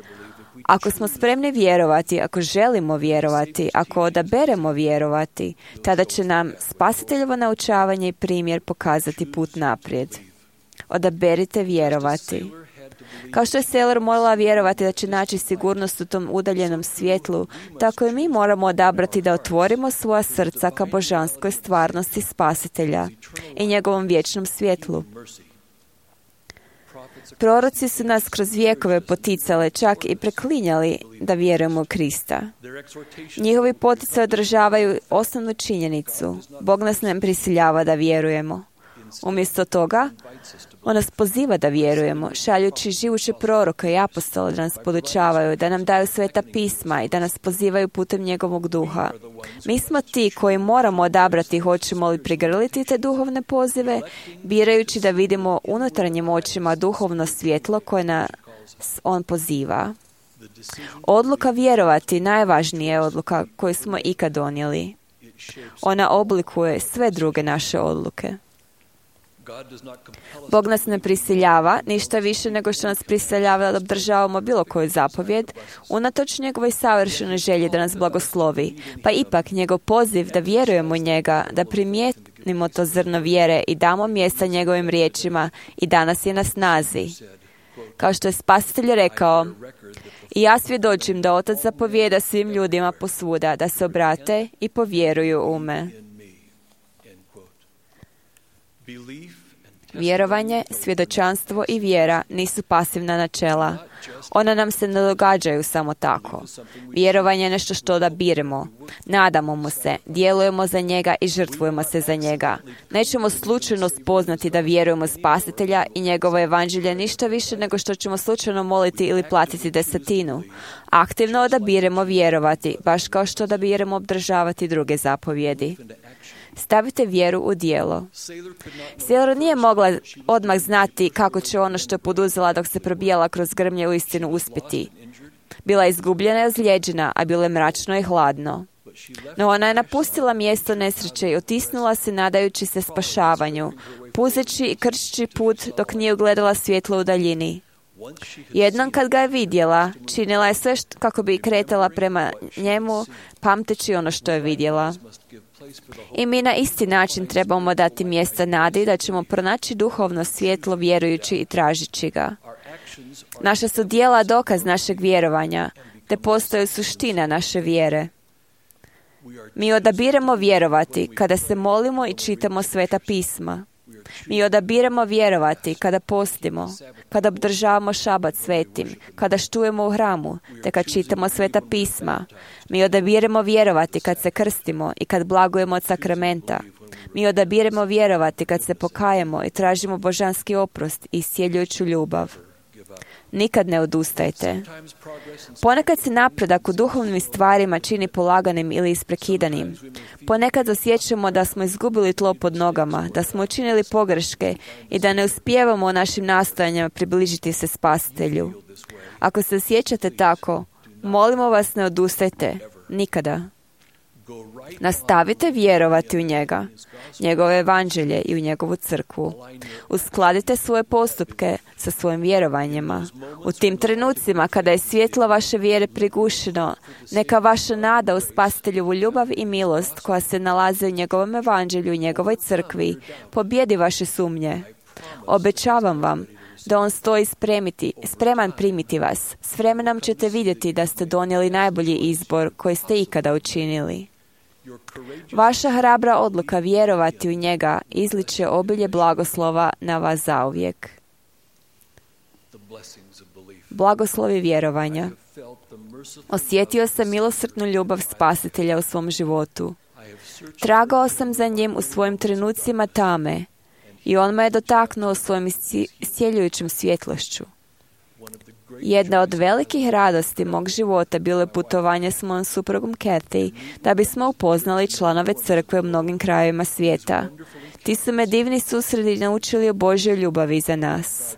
Ako smo spremni vjerovati, ako želimo vjerovati, ako odaberemo vjerovati, tada će nam spasiteljevo naučavanje i primjer pokazati put naprijed. Odaberite vjerovati. Kao što je Sailor morala vjerovati da će naći sigurnost u tom udaljenom svjetlu, tako i mi moramo odabrati da otvorimo svoja srca ka božanskoj stvarnosti Spasitelja i njegovom vječnom svjetlu. Proroci su nas kroz vjekove poticali, čak i preklinjali da vjerujemo u Krista. Njihovi poticaj odražavaju osnovnu činjenicu. Bog nas ne prisiljava da vjerujemo. Umjesto toga, on nas poziva da vjerujemo, šaljući živuće proroka i apostole da nas podučavaju, da nam daju sveta pisma i da nas pozivaju putem njegovog duha. Mi smo ti koji moramo odabrati hoćemo li prigrliti te duhovne pozive, birajući da vidimo unutarnjim očima duhovno svjetlo koje nas on poziva. Odluka vjerovati najvažnija je odluka koju smo ikad donijeli. Ona oblikuje sve druge naše odluke. Bog nas ne prisiljava, ništa više nego što nas prisiljava da obdržavamo bilo koju zapovjed, unatoč njegovoj savršenoj želji da nas blagoslovi, pa ipak njegov poziv da vjerujemo u njega, da primijetimo to zrno vjere i damo mjesta njegovim riječima i danas je na snazi. Kao što je Spasitelj rekao, i ja svjedočim da Otac zapovijeda svim ljudima posvuda da se obrate i povjeruju u me. Vjerovanje, svjedočanstvo i vjera nisu pasivna načela. Ona nam se ne događaju samo tako. Vjerovanje je nešto što odabiremo. Nadamo mu se, djelujemo za njega i žrtvujemo se za njega. Nećemo slučajno spoznati da vjerujemo Spasitelja i njegovo evanđelje ništa više nego što ćemo slučajno moliti ili platiti desetinu. Aktivno odabiremo vjerovati, baš kao što odabiremo obdržavati druge zapovjedi. Stavite vjeru u djelo. Sailor nije mogla odmah znati kako će ono što je poduzela dok se probijala kroz grmlje uistinu uspjeti. Bila je izgubljena i ozlijeđena, a bilo je mračno i hladno. No ona je napustila mjesto nesreće i otisnula se nadajući se spašavanju, puzeći i krčeći put dok nije ugledala svjetlo u daljini. Jednom kad ga je vidjela, činila je sve kako bi kretala prema njemu, pamteći ono što je vidjela. I mi na isti način trebamo dati mjesta nadi da ćemo pronaći duhovno svjetlo vjerujući i tražići ga. Naša su djela dokaz našeg vjerovanja, te postoje suština naše vjere. Mi odabiremo vjerovati kada se molimo i čitamo sveta pisma. Mi odabiremo vjerovati kada postimo, kada obdržavamo šabat svetim, kada štujemo u hramu, te kad čitamo sveta pisma. Mi odabiremo vjerovati kad se krstimo i kad blagujemo od sakramenta. Mi odabiremo vjerovati kad se pokajemo i tražimo božanski oprost i iscjeljujuću ljubav. Nikad ne odustajte. Ponekad se napredak u duhovnim stvarima čini polaganim ili isprekidanim. Ponekad osjećamo da smo izgubili tlo pod nogama, da smo učinili pogreške i da ne uspijevamo u našim nastojanjima približiti se Spasitelju. Ako se osjećate tako, molimo vas, ne odustajte. Nikada. Nastavite vjerovati u njega, njegovo evanđelje i u njegovu crkvu. Uskladite svoje postupke sa svojim vjerovanjima. U tim trenucima kada je svjetlo vaše vjere prigušeno, neka vaša nada u Spasiteljovu ljubav i milost koja se nalazi u njegovom evanđelju i njegovoj crkvi pobjedi vaše sumnje. Obećavam vam da on stoji spreman primiti vas. S vremenom ćete vidjeti da ste donijeli najbolji izbor koji ste ikada učinili. Vaša hrabra odluka vjerovati u njega izliče obilje blagoslova na vas zauvijek. Blagoslovi vjerovanja. Osjetio sam milosrdnu ljubav Spasitelja u svom životu. Tragao sam za njim u svojim trenucima tame i on me je dotaknuo svojim iscjeljujućim svjetlošću. Jedna od velikih radosti mog života bilo je putovanje s mojom suprugom Kathy, da bismo upoznali članove crkve u mnogim krajevima svijeta. Ti su me divni susredi naučili o Božjoj ljubavi za nas.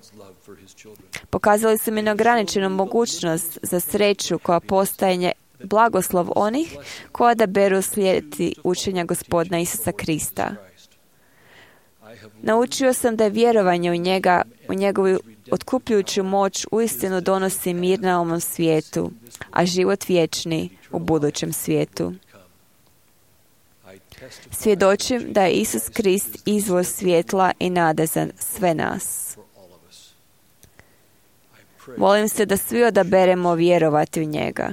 Pokazali su mi neograničenu mogućnost za sreću koja postaje blagoslov onih koja da beru slijediti učenja Gospodina Isusa Krista. Naučio sam da je vjerovanje u njega, u njegovu otkupljujuću moć uistinu donosi mir na ovom svijetu, a život vječni u budućem svijetu. Svjedočim da je Isus Krist izvor svjetla i nade za sve nas. Molim se da svi odaberemo vjerovati u njega.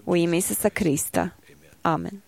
U ime Isusa Krista. Amen.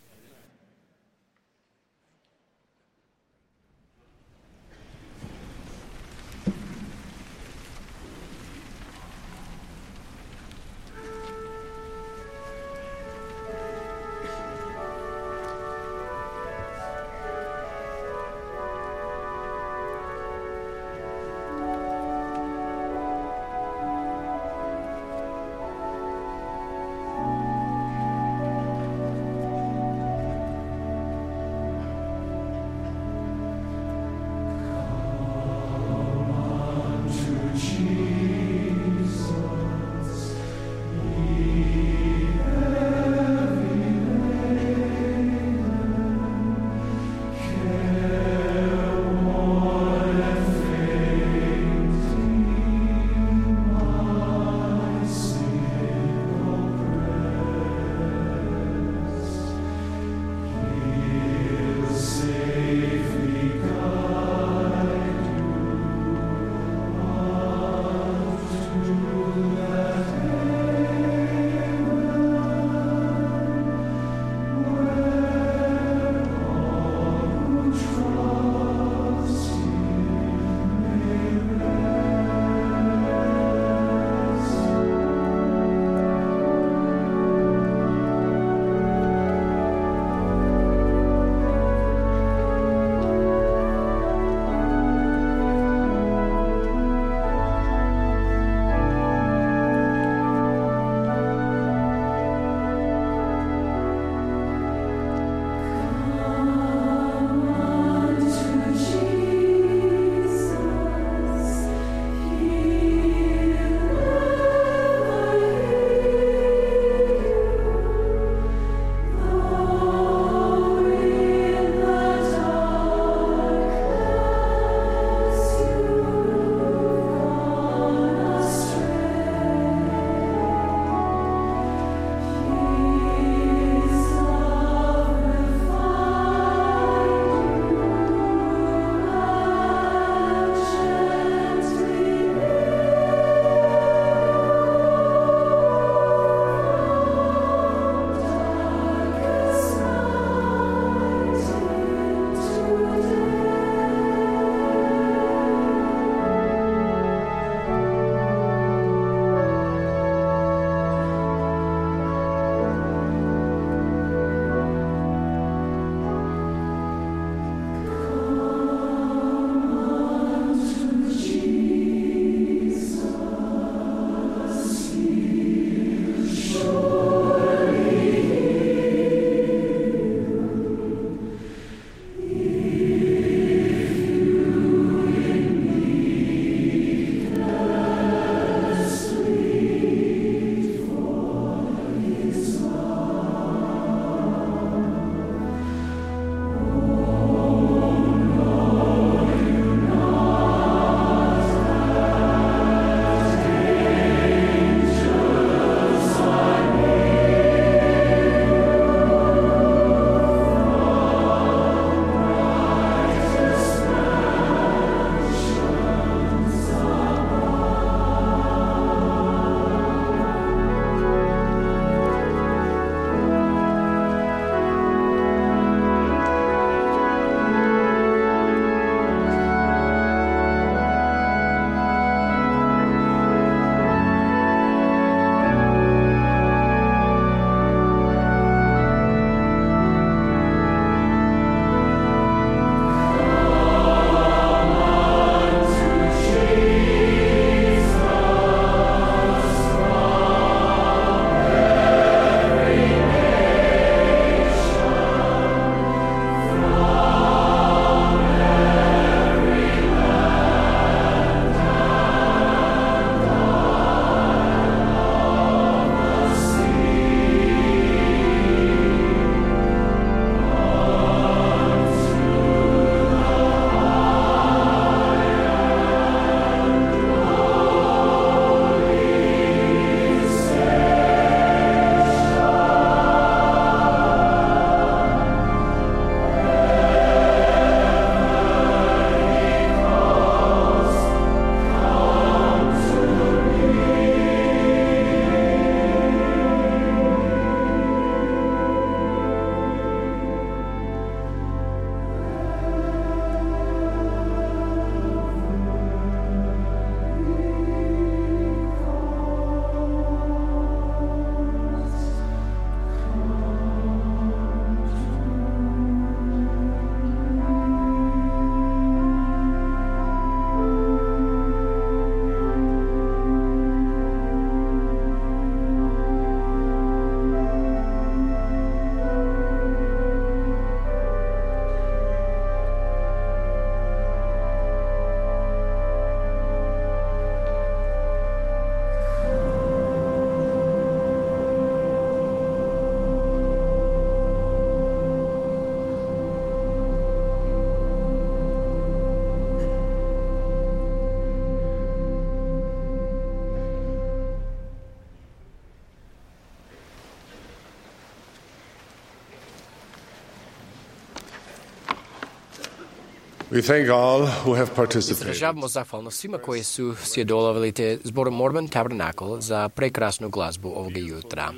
We thank all who have participated. Izražavamo zahvalnost svima koji su sudjelovali te zboru Mormon Tabernacle za prekrasnu glazbu ovoga jutra.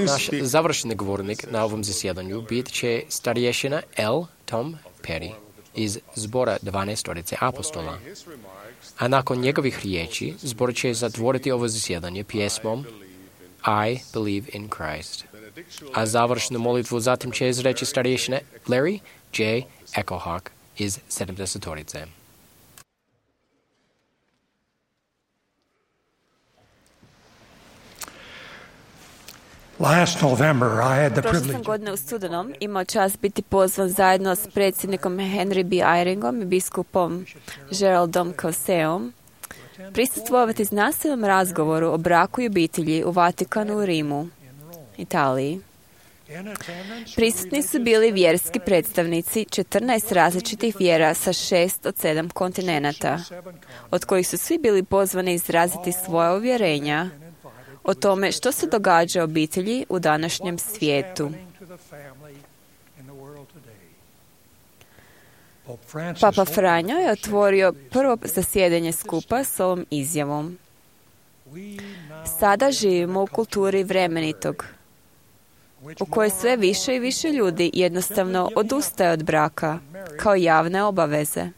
Naš završni govornik na ovom zasjedanju bit će starješina L. Tom Perry iz zbora 12 apostola. A nakon njegovih riječi, zbor će zatvoriti ovo zasjedanje pjesmom I Believe in Christ. A završnu molitvu zatim će izreći starješina Larry J. Echohawk iz 70-torice. Prošle sam godine u studenom imao čast biti pozvan zajedno s predsjednikom Henry B. Eyringom i biskupom Geraldom Causeom prisustvovati znanstvenom razgovoru o braku i obitelji u Vatikanu u Rimu, Italiji. Prisutni su bili vjerski predstavnici 14 različitih vjera sa 6 od 7 kontinenata, od kojih su svi bili pozvani izraziti svoja uvjerenja o tome što se događa obitelji u današnjem svijetu. Papa Franjo je otvorio prvo zasjedanje skupa s ovom izjavom. Sada živimo u kulturi vremenitog, u kojoj sve više i više ljudi jednostavno odustaje od braka kao javne obaveze.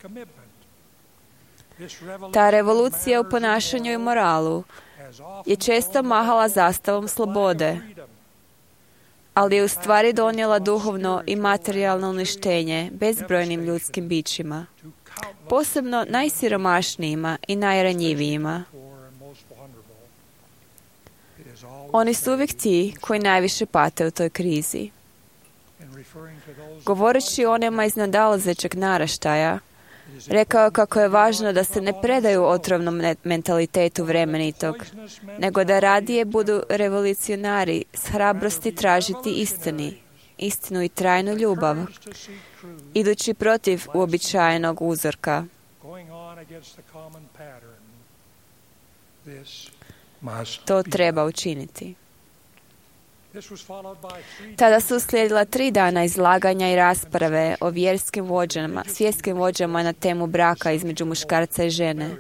Ta revolucija u ponašanju i moralu je često mahala zastavom slobode, ali je u stvari donijela duhovno i materijalno uništenje bezbrojnim ljudskim bićima, posebno najsiromašnijima i najranjivijima. Oni su uvijek ti koji najviše pate u toj krizi. Govoreći o onima iz nadolazećeg naraštaja, rekao kako je važno da se ne predaju otrovnom mentalitetu vremenitog, nego da radije budu revolucionari s hrabrosti tražiti istinu i trajnu ljubav, idući protiv uobičajenog uzorka. To treba učiniti. Tada su uslijedila 3 dana izlaganja i rasprave o svjetskim vođama na temu braka između muškarca i žene.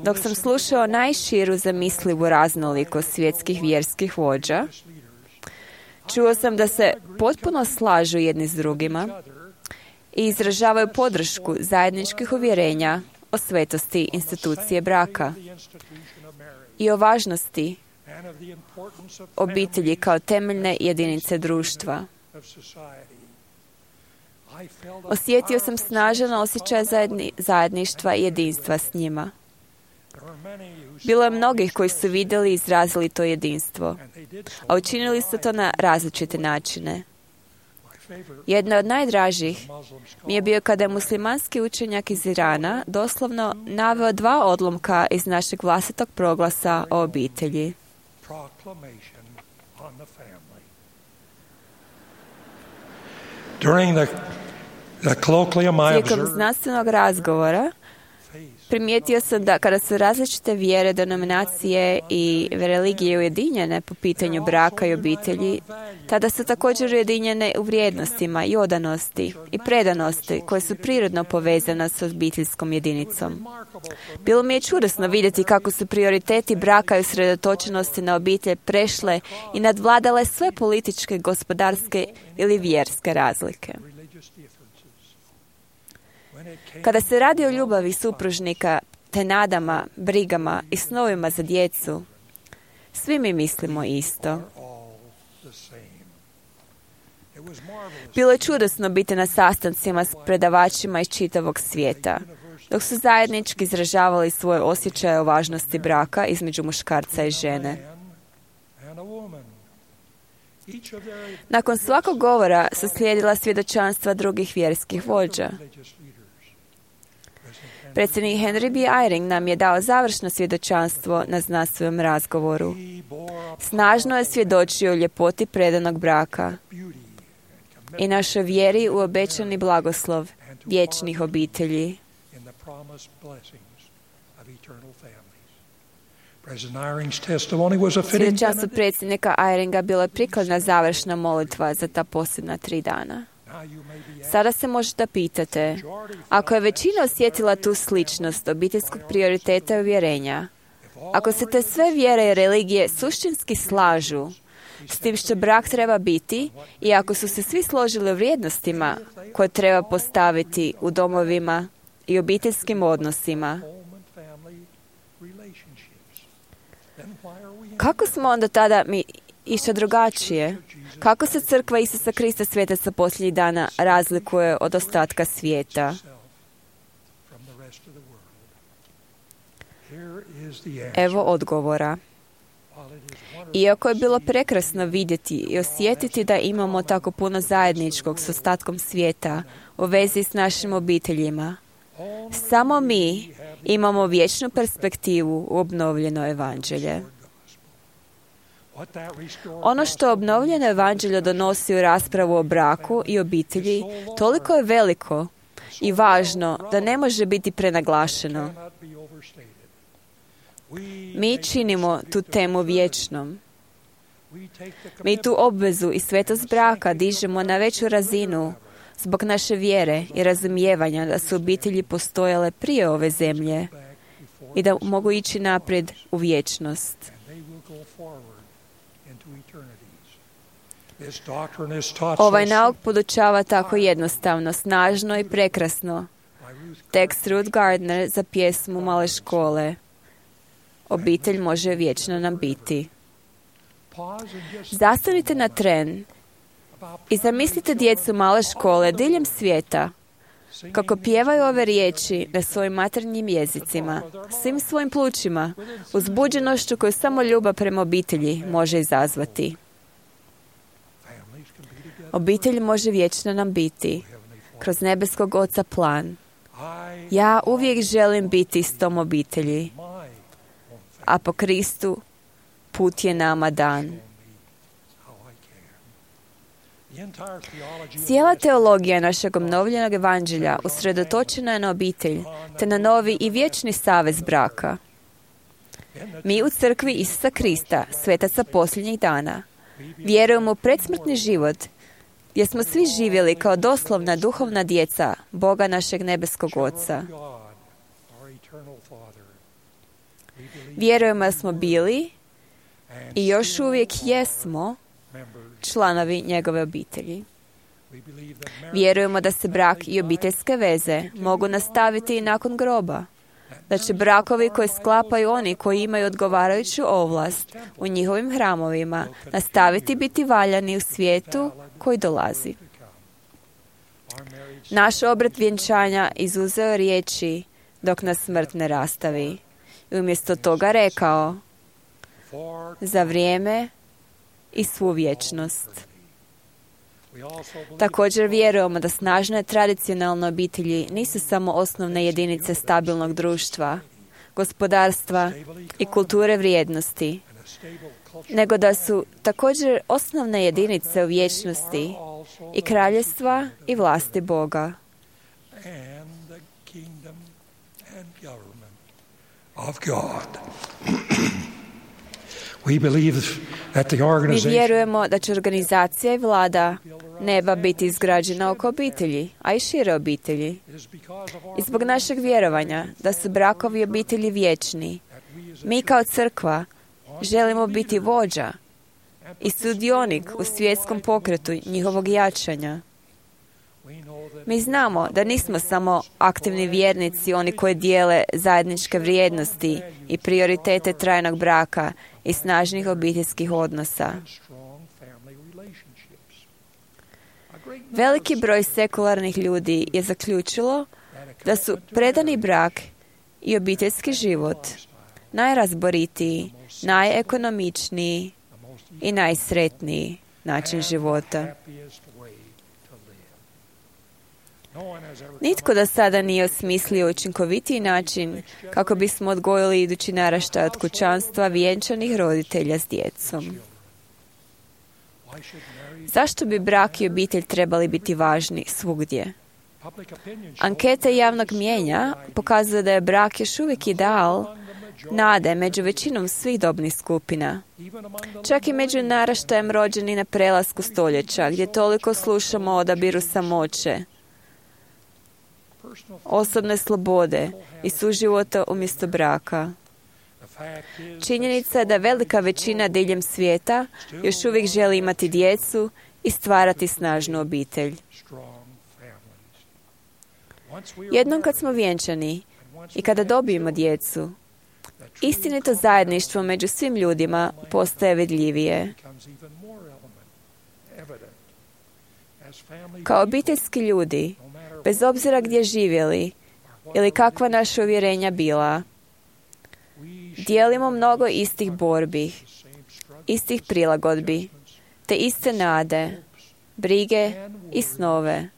Dok sam slušao najširu zamislivu raznolikost svjetskih vjerskih vođa, čuo sam da se potpuno slažu jedni s drugima i izražavaju podršku zajedničkih uvjerenja o svetosti institucije braka i o važnosti obitelji kao temeljne jedinice društva. Osjetio sam snažan osjećaj zajedništva i jedinstva s njima. Bilo je mnogih koji su vidjeli i izrazili to jedinstvo, a učinili su to na različite načine. Jedna od najdražih mi je bio kada je muslimanski učenjak iz Irana doslovno naveo 2 odlomka iz našeg vlastitog proglasa o obitelji. Tijekom znanstvenog razgovora primijetio sam da kada su različite vjere, denominacije i religije ujedinjene po pitanju braka i obitelji, tada su također ujedinjene u vrijednostima i odanosti i predanosti koje su prirodno povezane s obiteljskom jedinicom. Bilo mi je čudesno vidjeti kako su prioriteti braka i usredotočenosti na obitelj prešle i nadvladale sve političke, gospodarske ili vjerske razlike. Kada se radi o ljubavi supružnika, te nadama, brigama i snovima za djecu, svi mi mislimo isto. Bilo je čudesno biti na sastancima s predavačima iz čitavog svijeta, dok su zajednički izražavali svoje osjećaje o važnosti braka između muškarca i žene. Nakon svakog govora su slijedila svjedočanstva drugih vjerskih vođa. Predsjednik Henry B. Eyring nam je dao završno svjedočanstvo na znanstvenom razgovoru. Snažno je svjedočio o ljepoti predanog braka i našoj vjeri u obećani blagoslov vječnih obitelji. Svjedočanstvo predsjednika Eyringa bilo je prikladna završna molitva za ta posljedna 3 dana. Sada se možete pitate, ako je većina osjetila tu sličnost obiteljskog prioriteta i uvjerenja, ako se te sve vjere i religije suštinski slažu s tim što brak treba biti i ako su se svi složili o vrijednostima koje treba postaviti u domovima i obiteljskim odnosima, kako smo onda tada mi išta drugačije? Kako se crkva Isusa Krista svijetaca posljednjih dana razlikuje od ostatka svijeta? Evo odgovora. Iako je bilo prekrasno vidjeti i osjetiti da imamo tako puno zajedničkog s ostatkom svijeta u vezi s našim obiteljima, samo mi imamo vječnu perspektivu u obnovljeno evanđelje. Ono što obnovljeno evanđelje donosi u raspravu o braku i obitelji toliko je veliko i važno da ne može biti prenaglašeno. Mi činimo tu temu vječnom. Mi tu obvezu i svetost braka dižemo na veću razinu zbog naše vjere i razumijevanja da su obitelji postojale prije ove zemlje i da mogu ići naprijed u vječnost. Ovaj nauk podučava tako jednostavno, snažno i prekrasno. Tekst Ruth Gardner za pjesmu Male škole. Obitelj može vječno nam biti. Zastanite na tren i zamislite djecu male škole diljem svijeta kako pjevaju ove riječi na svojim materinjim jezicima, svim svojim plućima, uzbuđenošću koju samo ljubav prema obitelji može izazvati. Obitelj može vječno nam biti kroz nebeskog Oca plan. Ja uvijek želim biti s tom obitelji, a po Kristu put je nama dan. Cijela teologija našeg obnovljenog evanđelja usredotočena je na obitelj, te na novi i vječni savez braka. Mi u crkvi Isusa Krista, svetaca posljednjih dana, vjerujemo u predsmrtni život, gdje smo svi živjeli kao doslovna duhovna djeca Boga našeg nebeskog Oca. Vjerujemo da smo bili i još uvijek jesmo članovi njegove obitelji. Vjerujemo da se brak i obiteljske veze mogu nastaviti i nakon groba, da će brakovi koje sklapaju oni koji imaju odgovarajuću ovlast u njihovim hramovima nastaviti biti valjani u svijetu koji dolazi. Naš obred vjenčanja izuzeo riječi dok nas smrt ne rastavi i umjesto toga rekao za vrijeme i svu vječnost. Također vjerujemo da snažne tradicionalne obitelji nisu samo osnovne jedinice stabilnog društva, gospodarstva i kulture vrijednosti, nego da su također osnovne jedinice u vječnosti i kraljevstva i vlasti Boga. Mi vjerujemo da će organizacija i vlada neba biti izgrađena oko obitelji, a i šire obitelji. I zbog našeg vjerovanja da su brakovi i obitelji vječni, mi kao crkva želimo biti vođa i sudionik u svjetskom pokretu njihovog jačanja. Mi znamo da nismo samo aktivni vjernici, oni koji dijele zajedničke vrijednosti i prioritete trajnog braka i snažnih obiteljskih odnosa. Veliki broj sekularnih ljudi je zaključilo da su predani brak i obiteljski život najrazboritiji, najekonomičniji i najsretniji način života. Nitko do sada nije osmislio učinkovitiji način kako bismo odgojili idući naraštaj od kućanstva vjenčanih roditelja s djecom. Zašto bi brak i obitelj trebali biti važni svugdje? Ankete javnog mnijenja pokazuju da je brak još uvijek ideal nade među većinom svih dobnih skupina. Čak i među naraštajem rođeni na prelasku stoljeća, gdje toliko slušamo o odabiru samoće, osobne slobode i suživota umjesto braka. Činjenica je da velika većina diljem svijeta još uvijek želi imati djecu i stvarati snažnu obitelj. Jednom kad smo vjenčani i kada dobijemo djecu, istinito zajedništvo među svim ljudima postaje vidljivije. Kao obiteljski ljudi, bez obzira gdje živjeli ili kakva naša uvjerenja bila, dijelimo mnogo istih borbi, istih prilagodbi, te iste nade, brige i snove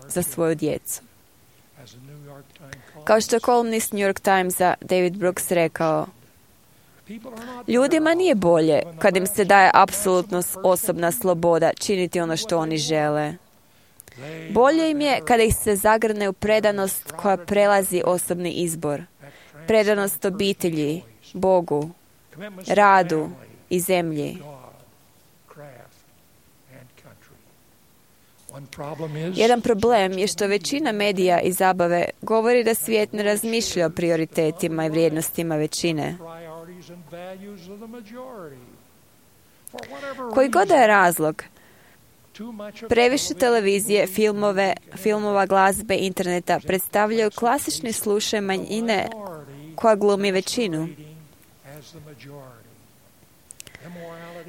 za svoju djecu. Kao što je kolumnist New York Timesa David Brooks rekao, ljudima nije bolje kad im se daje apsolutno osobna sloboda činiti ono što oni žele. Bolje im je kada ih se zagrne u predanost koja prelazi osobni izbor, predanost obitelji, Bogu, radu i zemlji. Jedan problem je što većina medija i zabave govori da svijet ne razmišlja o prioritetima i vrijednostima većine. Koji god je razlog, previše televizije, filmova, glazbe, interneta predstavljaju klasični slučaj manjine koja glumi većinu.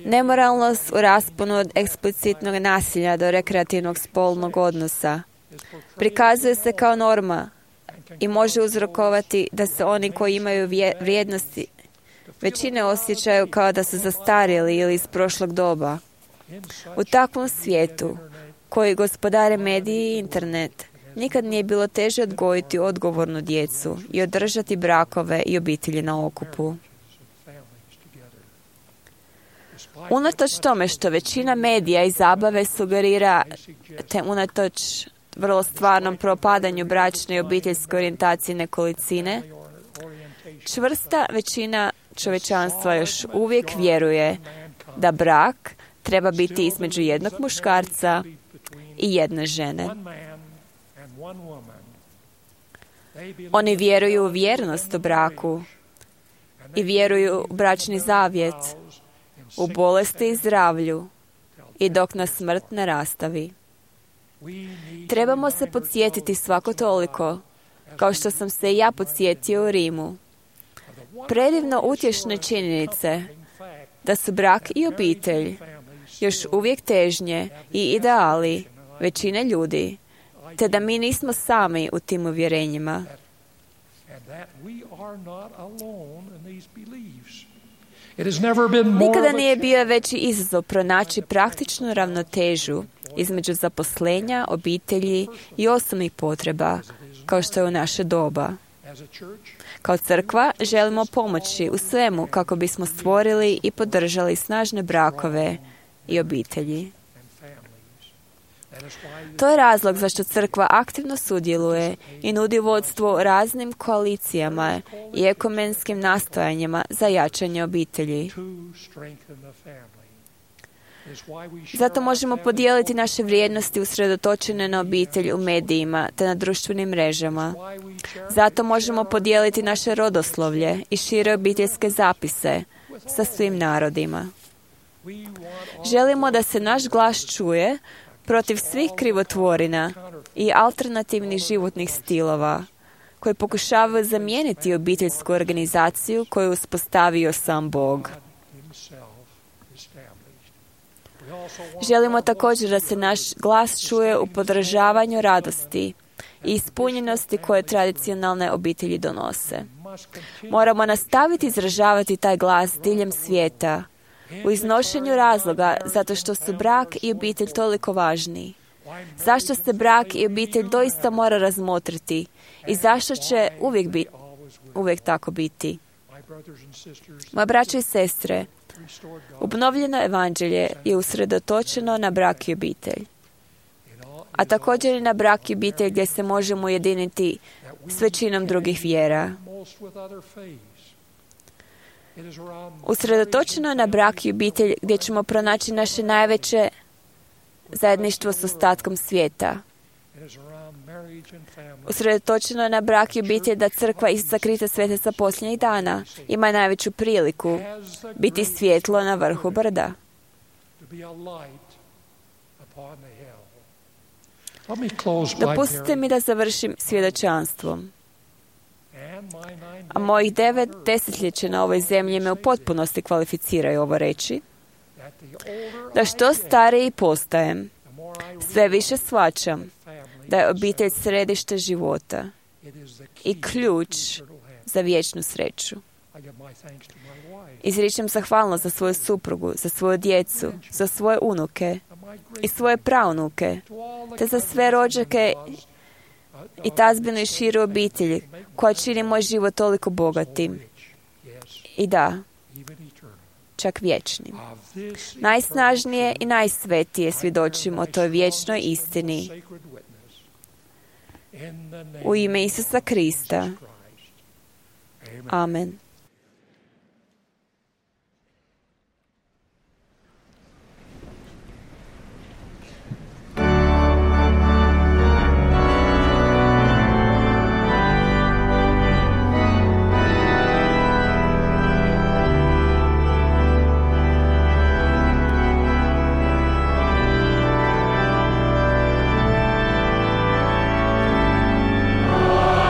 Nemoralnost u rasponu od eksplicitnog nasilja do rekreativnog spolnog odnosa prikazuje se kao norma i može uzrokovati da se oni koji imaju vrijednosti većine osjećaju kao da su zastarjeli ili iz prošlog doba. U takvom svijetu, koji gospodare mediji i internet, nikad nije bilo teže odgojiti odgovornu djecu i održati brakove i obitelji na okupu. Unatoč tome što većina medija i zabave sugerira, te unatoč vrlo stvarnom propadanju bračne i obiteljske orijentacije nekolicine, čvrsta većina čovječanstva još uvijek vjeruje da brak treba biti između jednog muškarca i jedne žene. Oni vjeruju u vjernost u braku i vjeruju u bračni zavjet, u bolesti i zdravlju i dok nas smrt ne rastavi. Trebamo se podsjetiti svako toliko, kao što sam se i ja podsjetio u Rimu, predivno utješne činjenice da su brak i obitelj još uvijek težnje i ideali većine ljudi, te da mi nismo sami u tim uvjerenjima. Nikada nije bio veći izazov pronaći praktičnu ravnotežu između zaposlenja, obitelji i osobnih potreba, kao što je u naše doba. Kao crkva želimo pomoći u svemu kako bismo stvorili i podržali snažne brakove i obitelji. To je razlog zašto crkva aktivno sudjeluje i nudi vodstvo raznim koalicijama i ekumenskim nastojanjima za jačanje obitelji. Zato možemo podijeliti naše vrijednosti usredotočene na obitelj u medijima te na društvenim mrežama. Zato možemo podijeliti naše rodoslovlje i šire obiteljske zapise sa svim narodima. Želimo da se naš glas čuje protiv svih krivotvorina i alternativnih životnih stilova koji pokušavaju zamijeniti obiteljsku organizaciju koju je uspostavio sam Bog. Želimo također da se naš glas čuje u podržavanju radosti i ispunjenosti koje tradicionalne obitelji donose. Moramo nastaviti izražavati taj glas diljem svijeta u iznošenju razloga zato što su brak i obitelj toliko važni. Zašto se brak i obitelj doista mora razmotriti i zašto će uvijek tako biti. Moje braće i sestre, obnovljeno evanđelje je usredotočeno na brak i obitelj, a također i na brak i obitelj gdje se možemo ujediniti s većinom drugih vjera. Usredotočeno je na brak i obitelj gdje ćemo pronaći naše najveće zajedništvo s ostatkom svijeta. Usredotočeno je na brak i obitelj da crkva Isusa Krista Svetaca posljednjih dana ima najveću priliku biti svjetlo na vrhu brda. Dopustite mi da završim svjedočanstvom. A mojih 9 desetljeća na ovoj zemlji me u potpunosti kvalificiraju ovo reći, da što stariji postajem, sve više shvaćam da je obitelj središte života i ključ za vječnu sreću. Izričem zahvalnost za svoju suprugu, za svoju djecu, za svoje unuke i svoje praunuke, te za sve rođake i tazbinu i širu obitelji koja čini moj život toliko bogatim. I da, čak vječnim. Najsnažnije i najsvetije svjedočim o toj vječnoj istini. U ime Isusa Krista. Amen. I believe in Christ.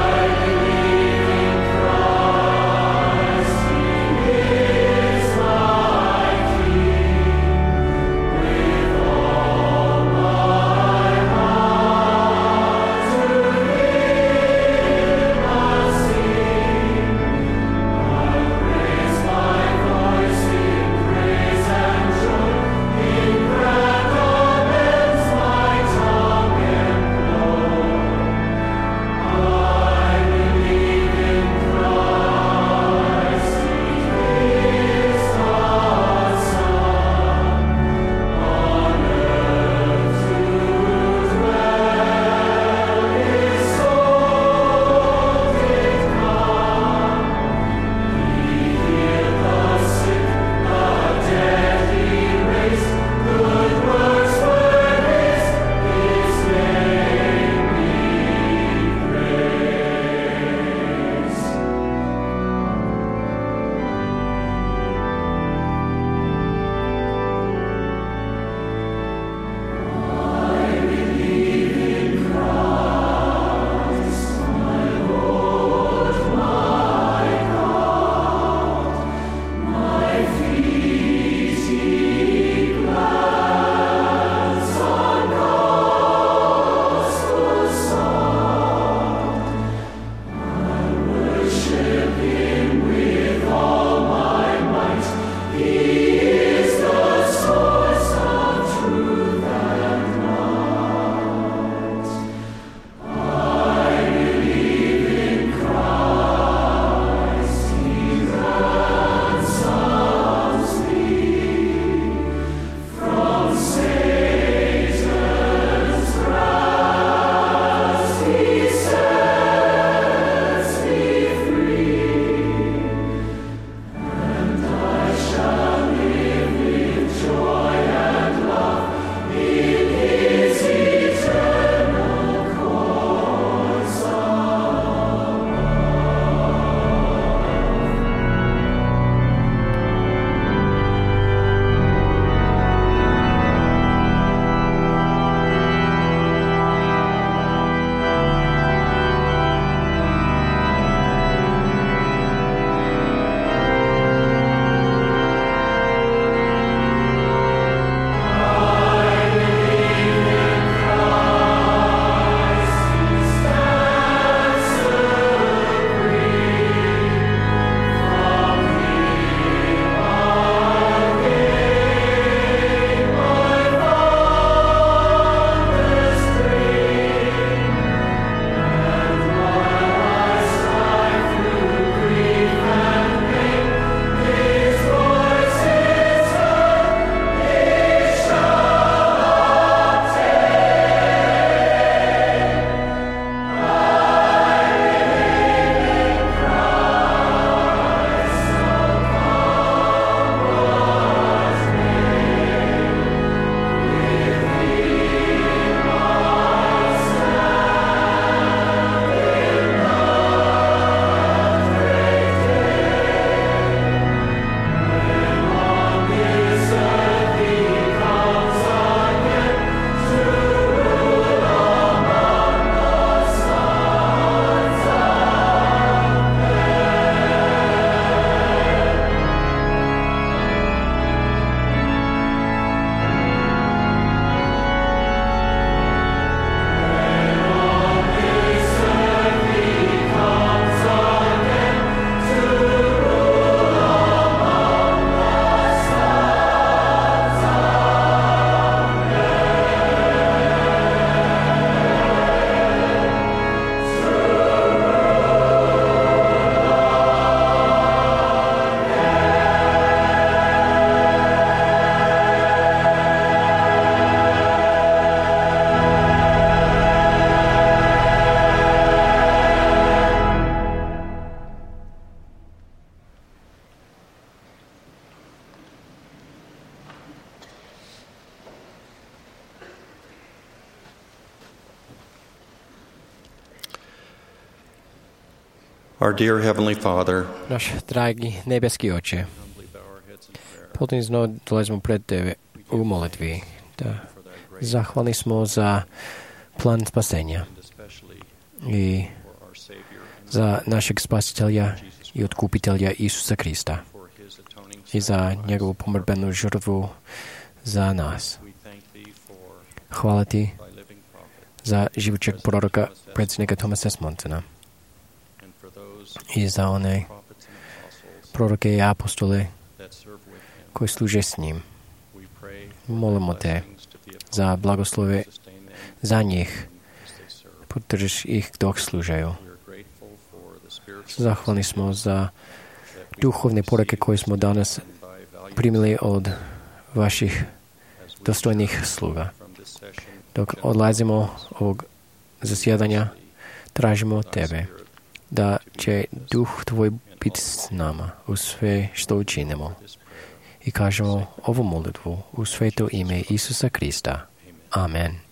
Our dear Heavenly Father, Naš dragi nebeski Oče, potom dolazimo pred Tebe u molitvi. Da zahvalni smo za plan spasenja i za našeg spasitelja i otkupitelja Isusa Krista i za njegovu pomrbenu žrtvu za nas. Hvala Ti za živućeg proroka, predsjednika Thomasa Smontona i za one proroke i apostole koji služe s njim. Molimo Te za blagoslove za njih. Podržiš ih dok služaju. Zahvalni smo za duhovne poruke koje smo danas primili od vaših dostojnih sluga. Dok odlazimo ovog zasjedanja, tražimo Tebe, da će Duh Tvoj biti s nama u sve što učinimo. I kažemo ovu molitvu u sveto ime Isusa Krista. Amen.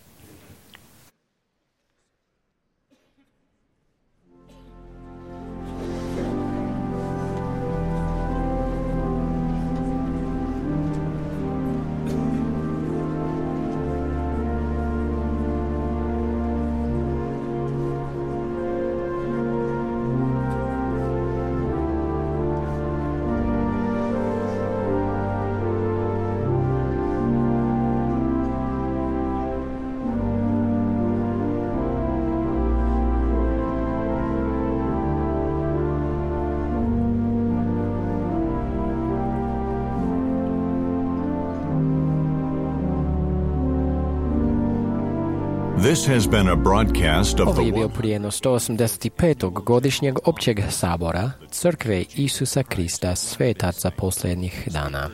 This has been a broadcast of Ovo the je bio prijenos 185. godišnjeg općeg sabora Crkve Isusa Krista svetaca posljednjih dana.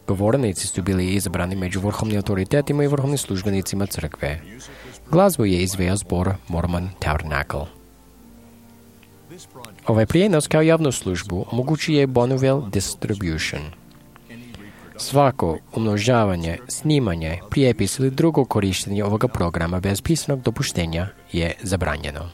Govornici su bili izabrani među vrhovnim autoritetima i vrhovnim službenicima crkve. Glazbu je izveo zbor Mormon Tabernacle. Ovaj prijenos kao javnu službu omogućuje Bonneville Distribution. Svako umnožavanje, snimanje, prijepis ili drugo korištenje ovoga programa bez pisanog dopuštenja je zabranjeno.